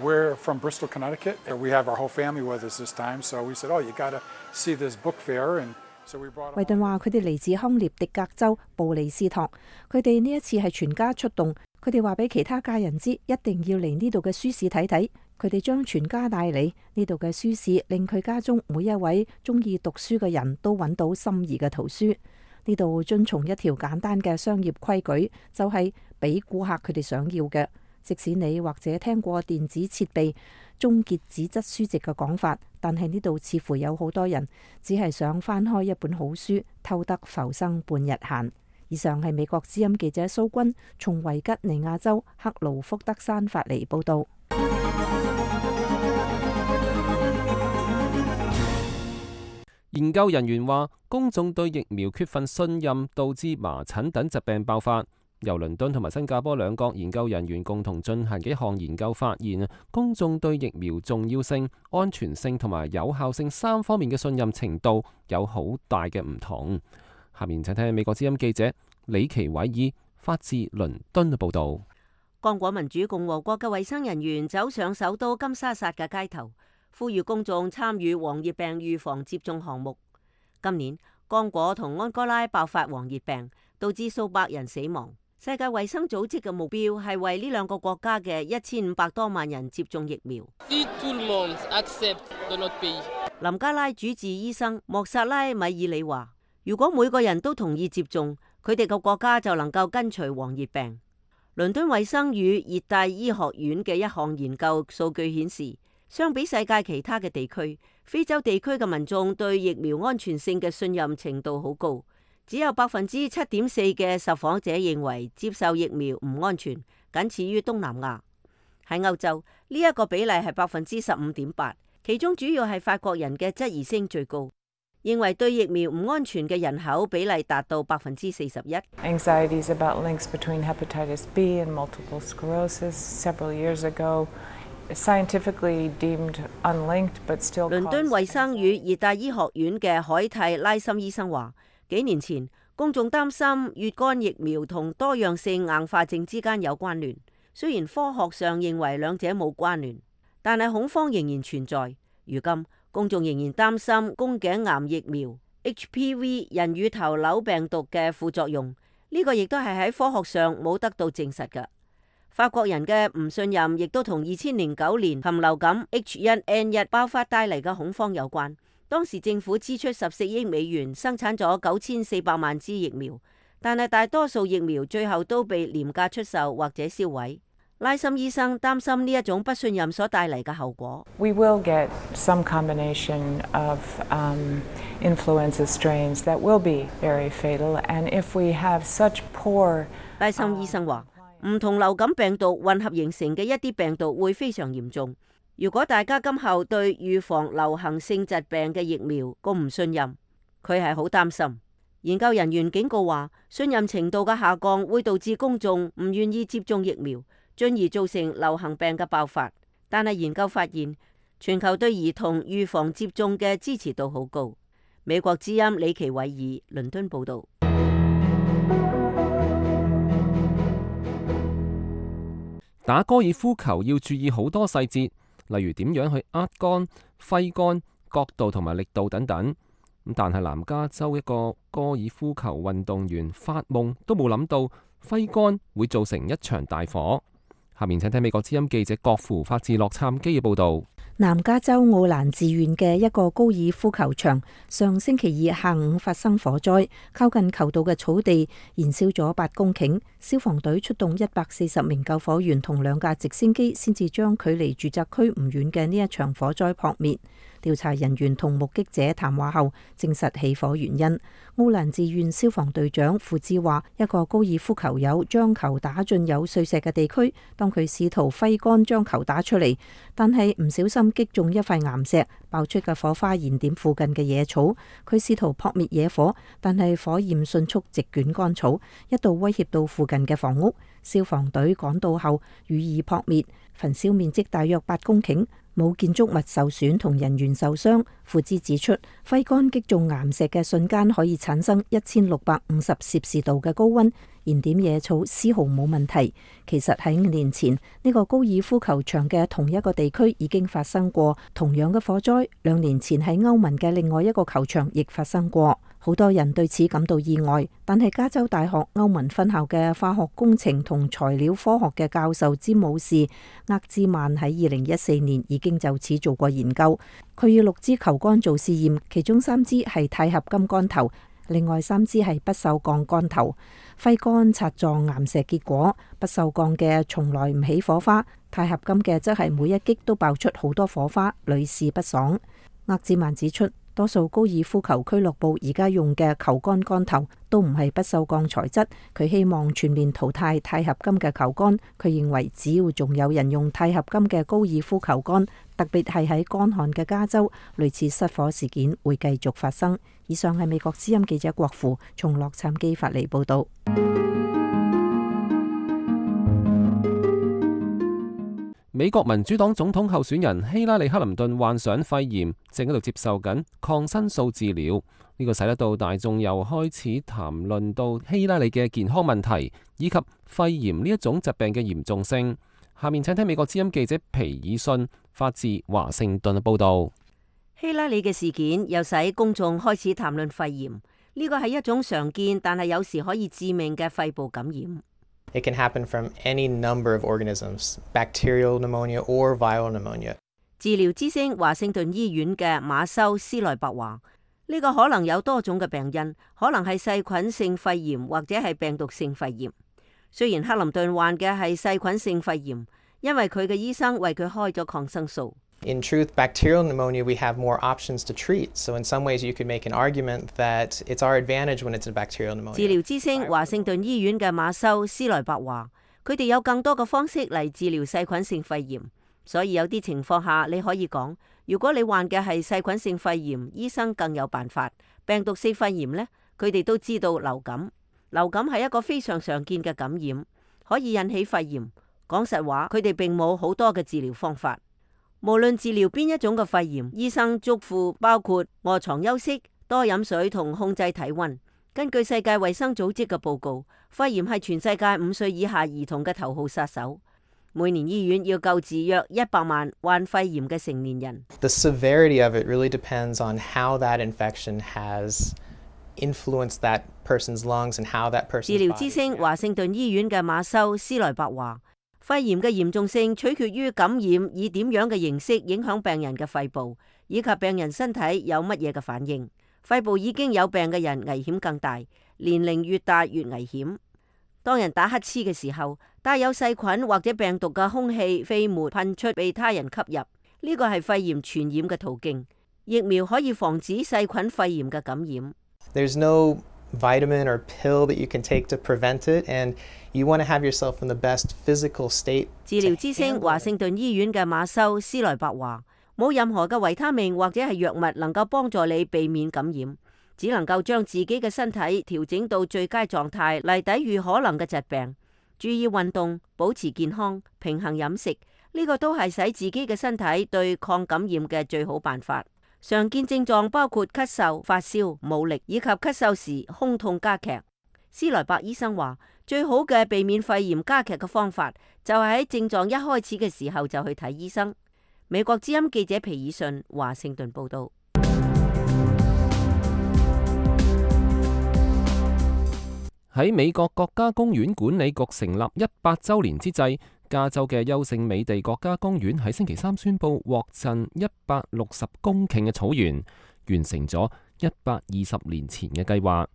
：We're from Bristol, Connecticut. We have our whole family with us this time, so we said, "Oh, you got to see this book fair." And so we brought. 維頓話：佢哋嚟自康涅狄格州布里斯托，佢哋呢一次係全家出動。佢哋話俾其他家人知，一定要嚟呢度嘅書市睇睇。佢哋將全家帶嚟呢度嘅書市，令佢家中每一位中意讀書嘅人都揾到心儀嘅圖書。呢度遵從一條簡單嘅商業規矩，就係俾顧客佢哋想要嘅。即使你或者聽過電子設備終結紙質書籍嘅講法，但係呢度似乎有好多人只係想翻開一本好書，偷得浮生半日閒。以上係美國之音記者蘇君從維吉尼亞州克勞福德山發嚟報道。研究人員話，公眾對疫苗缺乏信任，導致麻疹等疾病爆發。由倫敦同埋新加坡兩國研究人員共同進行嘅一項研究發現，公眾對疫苗重要性、安全性同埋有效性3方面嘅信任程度有好大嘅唔同。下面請聽美國之音記者李奇偉爾發自倫敦嘅報導。剛果民主共和國嘅衛生人員走上首都金沙薩嘅街頭，呼籲公眾參與黃熱病預防接種項目。今年剛果同安哥拉爆發黃熱病，導致數百人死亡。世界衛生組織嘅目標係為呢兩個國家嘅1500多萬人接種疫苗。林加拉主治醫生莫薩拉米爾里話：如果每個人都同意接種，佢哋個國家就能夠根除黃熱病。倫敦衛生與熱帶醫學院嘅一項研究數據顯示，相比世界其他嘅地區，非洲地區嘅民眾對疫苗安全性嘅信任程度好高。只有7.4%嘅受訪者認為接受疫苗唔安全，僅次於東南亞。喺歐洲呢一個比例係15.8%，其中主要係法國人嘅質疑聲最高，認為對疫苗唔安全嘅人口比例達到41%。Anxieties about links between hepatitis B and multiple sclerosis several years ago, scientifically deemed unlinked, but still. 倫敦衛生與熱帶醫學院嘅海蒂拉森醫生話：幾年前，公眾擔心乙肝疫苗同多樣性硬化症之間有關聯，雖然科學上認為兩者冇關聯，但係恐慌仍然存在。如今公眾仍然擔心宮頸癌疫苗 HPV 人乳頭瘤病毒嘅副作用，呢個亦都係喺科學上冇得到證實嘅。法國人嘅唔信任亦都同2009年禽流感 H1N1 爆發帶嚟嘅恐慌有關。當時政府支出14億美元生產咗9400萬支疫苗，但係大多數疫苗最後都被廉價出售或者銷毀。拉森醫生擔心呢一種不信任所帶嚟嘅後果。We will get some combination of influenza strains that will be very fatal, and if we have such poor， 拉森醫生話，唔同流感病毒混合形成嘅一啲病毒會非常嚴重。如果大家今後對預防流行性疾病嘅疫苗咁唔信任，佢係好擔心。研究人員警告話，信任程度嘅下降會導致公眾唔願意接種疫苗，進而造成流行病嘅爆發。但係研究發現，全球對兒童預防接種嘅支持度好高。美國之音李奇偉爾倫敦報導。打高爾夫球要注意好多細節，例如點樣去握桿、揮桿、角度同埋力度等等。但係南加州一個高爾夫球運動員發夢都冇諗到揮桿會造成一場大火。下面請睇美國之音記者郭芙發自洛杉磯嘅報導。南加州奧蘭治縣嘅一個高爾夫球場上星期二下午發生火災，靠近球道嘅草地燃燒咗8公頃，消防隊出動140名救火員同2架直升機，先至將距離住宅區唔遠嘅呢一場火災撲滅。調查人員同目擊者談話後，證實起火原因。奧蘭治縣消防隊長傅志話，一個高爾夫球友將球打進有碎石嘅地區，當佢試圖揮桿將球打出嚟，但係唔小心擊中一塊岩石，爆出嘅火花燃點附近嘅野草。佢試圖撲滅野火，但係火焰迅速席捲乾草，一度威脅到附近嘅房屋。消防隊趕到後予以撲滅，焚燒面積大約8公頃，冇建築物受損同人員受傷。傅茲指出，揮桿擊中岩石嘅瞬間可以產生1650攝氏度嘅高溫，燃點野草絲毫冇問題。其實喺5年前，呢個高爾夫球場嘅同一個地區已經發生過同樣嘅火災。2年前喺歐文嘅另外一個球場亦發生過。好多人對此感到意外，但係加州大學歐文分校嘅化學工程同材料科學嘅教授詹姆士厄茲曼喺2014年已經就此做過研究。佢以6支球桿做試驗，其中3支係鈦合金桿頭，另外3支係不鏽鋼桿頭。揮桿擦撞岩石，結果不鏽鋼嘅從來唔起火花，鈦合金嘅則係每一擊都爆出好多火花，屢試不爽。厄茲曼指出，多數高爾夫球俱樂部而家用嘅球桿桿頭都唔係不鏽鋼材質，佢希望全面淘汰鈦合金嘅球桿。佢認為只要仲有人用鈦合金嘅高爾夫球桿，特別係喺乾旱嘅加州，類似失火事件會繼續發生。以上係美國之音記者郭芙從洛杉磯發嚟報道。美國民主黨總統候選人希拉里克林頓患上肺炎，正喺度接受緊抗生素治療。呢個使得到大眾又開始談論到希拉里嘅健康問題，以及肺炎呢一種疾病嘅嚴重性。下面請聽美國之音記者皮爾遜發自華盛頓嘅報道。希拉里嘅事件又使公眾開始談論肺炎，呢個係一種常見但係有時可以致命嘅肺部感染。It can happen from any number of organisms, bacterial pneumonia or viral pneumonia. 治療之星華盛頓醫院嘅馬修斯萊伯話：呢個可能有多種嘅病因，可能係細菌性肺炎或者係病毒性肺炎。雖然克林頓患嘅係細菌性肺炎，因為佢嘅醫生為佢開咗抗生素。In truth, bacterial pneumonia, we have more options to treat. So in some ways, you could make an argument that it's our advantage when it's a bacterial pneumonia. 治療之星華盛頓醫院嘅馬修斯萊伯話：佢哋有更多嘅方式嚟治療細菌性肺炎，所以有啲情況下你可以講，如果你患嘅係細菌性肺炎，醫生更有辦法。病毒性肺炎呢，佢哋都知道流感。流感係一個非常常見嘅感染，可以引起肺炎。講實話，佢哋並冇好多嘅治療方法。無論治療邊一種嘅肺炎，醫生囑咐包括臥床休息、多飲水同控制體溫。根據世界衛生組織嘅報告，肺炎係全世界5歲以下兒童嘅頭號殺手。每年醫院要救治約100萬患肺炎嘅成年人。The severity of it really depends on how that infection has influenced that person's lungs and how that person's 治療之星華盛頓醫院嘅馬修斯萊伯話，肺炎嘅嚴重性取決於感染以點樣嘅形式影響病人嘅肺部，以及病人身體有乜嘢嘅反應。肺部已經有病嘅人危險更大，年齡越大越危險。當人打乞嗤嘅時候，帶有細菌或者病毒嘅空氣飛沫噴出被他人吸入，呢個係肺炎傳染嘅途徑。疫苗可以防止細菌肺炎嘅感染。There's no vitamin or pill that you can take to prevent it, and you want to have yourself in the best physical state. 治療之星華盛頓醫院嘅馬修斯萊伯話，冇任何嘅維他命或者係藥物能夠幫助你避免感染，只能夠將自己嘅身體調整到最佳狀態嚟抵禦可能嘅疾病。注意運動，保持健康，平衡飲食，呢個都係使自己嘅身體對抗感染嘅最好辦法。常見症狀包括咳嗽、發燒、冇力，以及咳嗽時胸痛加劇。斯萊伯醫生話，最好嘅避免肺炎加劇嘅方法就係喺症狀一開始嘅時候就去睇醫生。美國之音記者皮爾遜華盛頓報道。喺美國國家公園管理局成立100週年之際，加州嘅優勝美地國家公園喺星期三宣布獲贈160公頃嘅草原，完成咗120年前嘅計劃。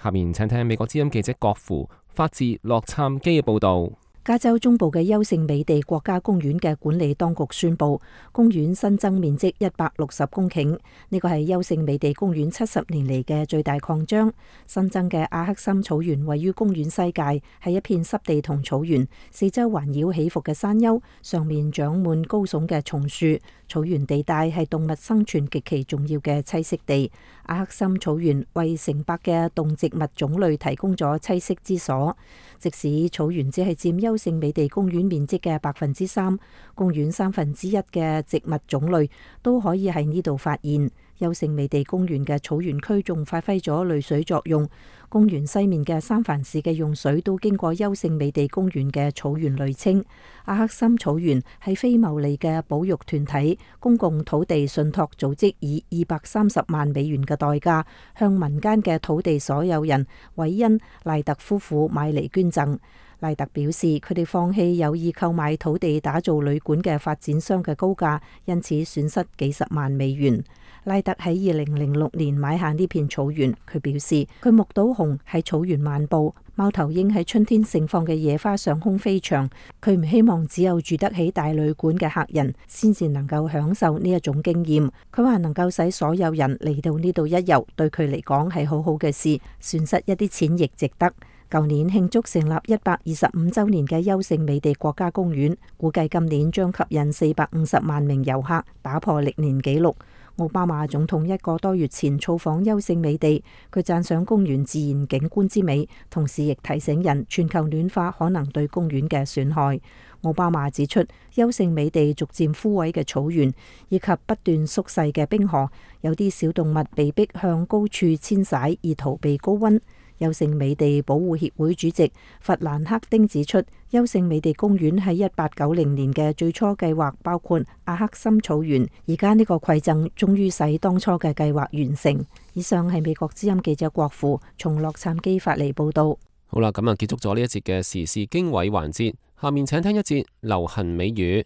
下面請聽美國之音記者郭芙發自洛杉磯嘅報導。加州中部嘅優勝美地國家公園嘅管理當局宣布，公園新增面積160公頃，呢個係優勝美地公園70年嚟嘅最大擴張。新增嘅阿克森草原位於公園西界，係一片濕地同草原，四周環繞起伏嘅山丘，上面長滿高聳嘅松樹。草原地帶係動物生存極其重要嘅棲息地。阿克森草原為成百嘅動植物種類提供咗棲息之所。即使草原只係佔優勝美地公園面積嘅3%，公園1/3嘅植物種類都可以喺呢度發現。優勝美地公園嘅草原區仲發揮咗濾水作用，公園西面嘅三藩市嘅用水都經過優勝美地公園嘅草原濾清。阿克森草原係非牟利嘅保育團體公共土地信託組織以230萬美元嘅代價向民間嘅土地所有人韋恩賴特夫婦買嚟捐贈。賴特表示，佢哋放棄有意購買土地打造旅館嘅發展商嘅高價，因此損失幾十萬美元。賴特喺2006年買下呢片草原，佢表示佢目睹熊喺草原漫步，貓頭鷹喺春天盛放嘅野花上空飛翔。佢唔希望只有住得起大旅館嘅客人先至能夠享受呢一種經驗。佢話能夠使所有人嚟到呢度一遊，對佢嚟講係好好嘅事，損失一啲錢亦值得。舊年慶祝成立125週年嘅優勝美地國家公園，估計今年將吸引450萬名遊客，打破歷年紀錄。奧巴馬總統1個多月前造訪優勝美地，佢讚賞公園自然景觀之美，同時亦提醒人全球暖化可能對公園嘅損害。奧巴馬指出，優勝美地逐漸枯萎嘅草原以及不斷縮細嘅冰河，有啲小動物被迫向高處遷徙以逃避高溫。優勝美地保護協會主席弗蘭克丁指出，優勝美地公園喺1890年嘅最初計劃包括阿克森草原，而家呢個饋贈終於使當初嘅計劃完成。以上係美國之音記者郭芙從洛杉磯發嚟報道。好啦，咁啊結束咗呢一節嘅時事經緯環節，下面請聽一節流行美語。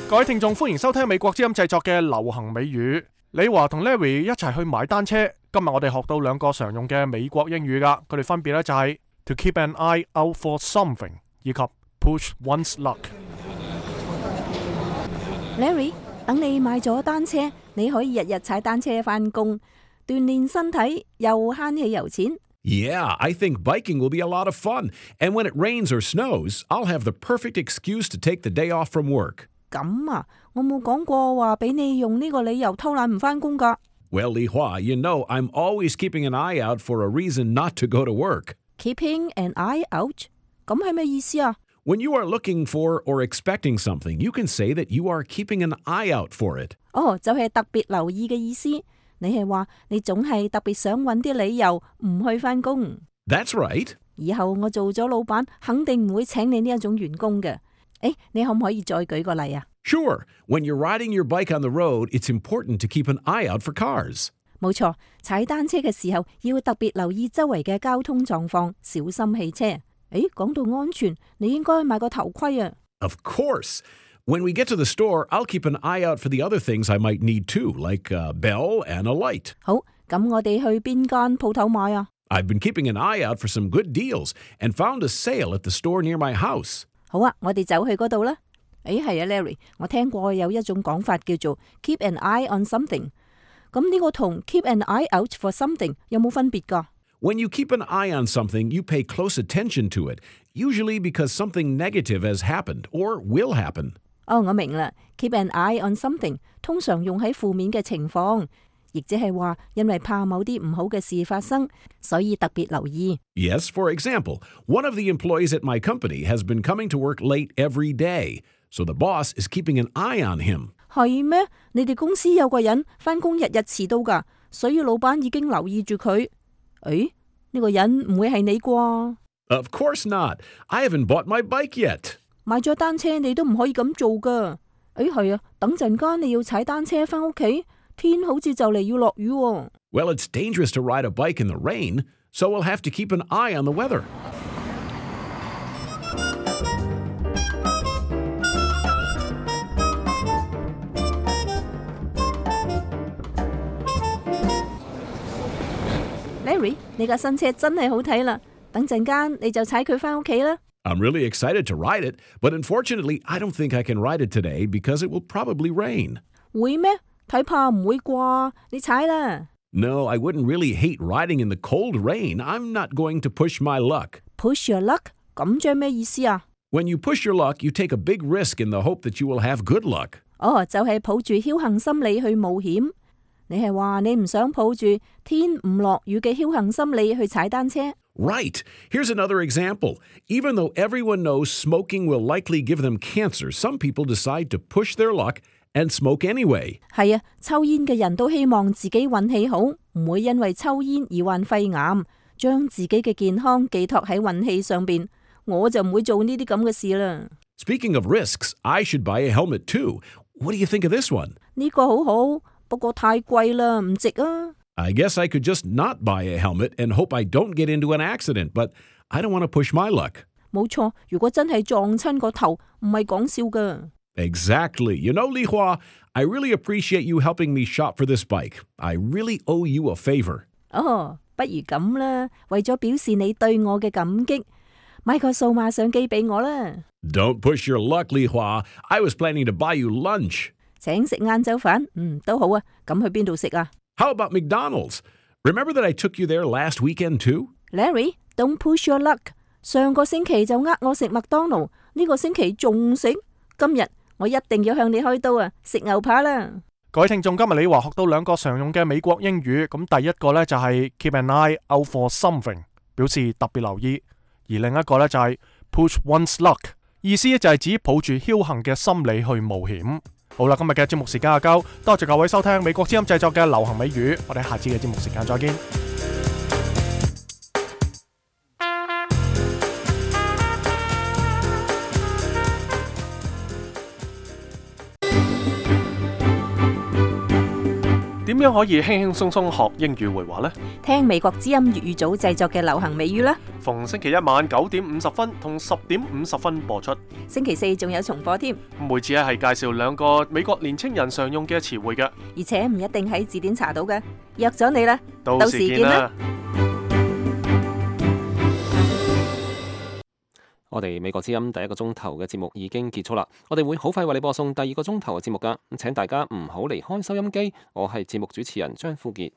各位聽眾，歡迎收聽美國之音製作嘅流行美語。李華同 Larry 一齊去買單車。今日我哋學到2個常用嘅美國英語噶，佢哋分別咧就係 to keep an eye out for something 以及 push one's luck。Larry， 等你買咗單車，你可以日日踩單車返工，鍛煉身體又慳汽油錢。Yeah, I think biking will be a lot of fun. And when it rains or snows, I'll have the perfect excuse to take the day off from work. 咁啊，我冇講過話俾你用呢個理由偷懶唔返工㗎。Well, Li Hua, you know I'm always keeping an eye out for a reason not to go to work. Keeping an eye out? 咁係咩意思啊 When you are looking for or expecting something, you can say that you are keeping an eye out for it. 就係特別留意嘅意思。你係話你總係特別想揾啲理由唔去返工。That's right. 以後我做咗老闆，肯定唔會請你呢一種員工嘅。你可唔可以再舉個例啊？ Sure. When you're riding your bike on the road, it's important to keep an eye out for cars. 冇錯，踩單車嘅時候要特別留意周圍嘅交通狀況，小心汽車。講到安全，你應該買個頭盔啊。Of course. When we get to the store, I'll keep an eye out for the other things I might need too, like a bell and a light. 好，咁我哋去邊間鋪頭買啊？ I've been keeping an eye out for some good deals and found a sale at the store near my house. 好啊，我哋走去嗰度啦。係啊 ，Larry， 我聽過有一種講法叫做 keep an eye on something。咁呢個同 keep an eye out for something 有冇分別㗎？When you keep an eye on something, you pay close attention to it, usually because something negative has happened or will happen. 我明啦。Keep an eye on something 通常用喺負面嘅情況，亦即係話因為怕某啲唔好嘅事發生，所以特別留意。Yes, for example, one of the employees at my company has been coming to work late every day, so the boss is keeping an eye on him. 係咩？你哋公司有個人返工日日遲到㗎，所以老闆已經留意住佢。呢個人唔會係你啩？ Of course not. I haven't bought my bike yet. 買咗單車你都唔可以咁做㗎。係啊，等陣間你要踩單車返屋企，天好似就嚟要落雨喎。Well, it's dangerous to ride a bike in the rain, so we'll have to keep an eye on the weather. Larry， 你架新車真係好睇啦，等陣間你就踩佢返屋企啦。I'm really excited to ride it, but unfortunately, I don't think I can ride it today because it will probably rain. 會咩？睇怕唔會啩？你踩啦。No, I wouldn't really hate riding in the cold rain. I'm not going to push my luck. Push your luck？ 咁即係咩意思啊？ When you push your luck, you take a big risk in the hope that you will have good luck. 就係抱住僥倖心理去冒險。你係話你唔想抱住天唔落雨嘅僥倖心理去踩單車？ Right. Here's another example. Even though everyone knows smoking will likely give them cancer, some people decide to push their luck and smoke anyway. 係啊，抽煙嘅人都希望自己運氣好，唔會因為抽煙而患肺癌，將自己嘅健康寄託喺運氣上邊。我就唔會做呢啲咁嘅事啦。Speaking of risks, I should buy a helmet too. What do you think of this one? 呢個好好，不過太貴啦，唔值啊。I guess I could just not buy a helmet and hope I don't get into an accident, but I don't want to push my luck. 冇錯，如果真係撞親個頭，唔係講笑㗎。Exactly. You know, Li Hua, I really appreciate you helping me shop for this bike. I really owe you a favor. 不如咁啦，為咗表示你對我嘅感激，買個數碼相機俾我啦。Don't push your luck, Li Hua. I was planning to buy you lunch. 請食晏晝飯，都好啊。咁去邊度食啊？ How about McDonald's? Remember that I took you there last weekend too? Larry, don't push your luck. 上個星期就我食麥當勞，呢個星期仲食。今日我一定要向你開刀啊！食牛扒啦！各位聽眾，今日你話學到兩個常用嘅美國英語，咁第一個呢就係 keep an eye out for something， 表示特別留意；而另一個呢就係 push one's luck， 意思就係指抱住僥倖嘅心理去冒險。好啦，今日嘅節目時間就夠，多謝各位收聽美國之音製作嘅流行美語，我哋下次嘅節目時間再見。點樣可以輕輕鬆鬆學英語會話呢？聽美國之音粵語組製作嘅流行美語啦。逢星期一晚9點50分同10點50分播出。星期四仲有重播添。每次係介紹兩個美國年青人常用嘅詞彙嘅，而且唔一定喺字典查到嘅。約咗你啦，到時見啦。我哋美國之音第一個鐘頭嘅節目已經結束啦，我哋會好快為你播送第二個鐘頭嘅節目㗎，咁請大家唔好離開收音機，我係節目主持人張富傑。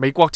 美國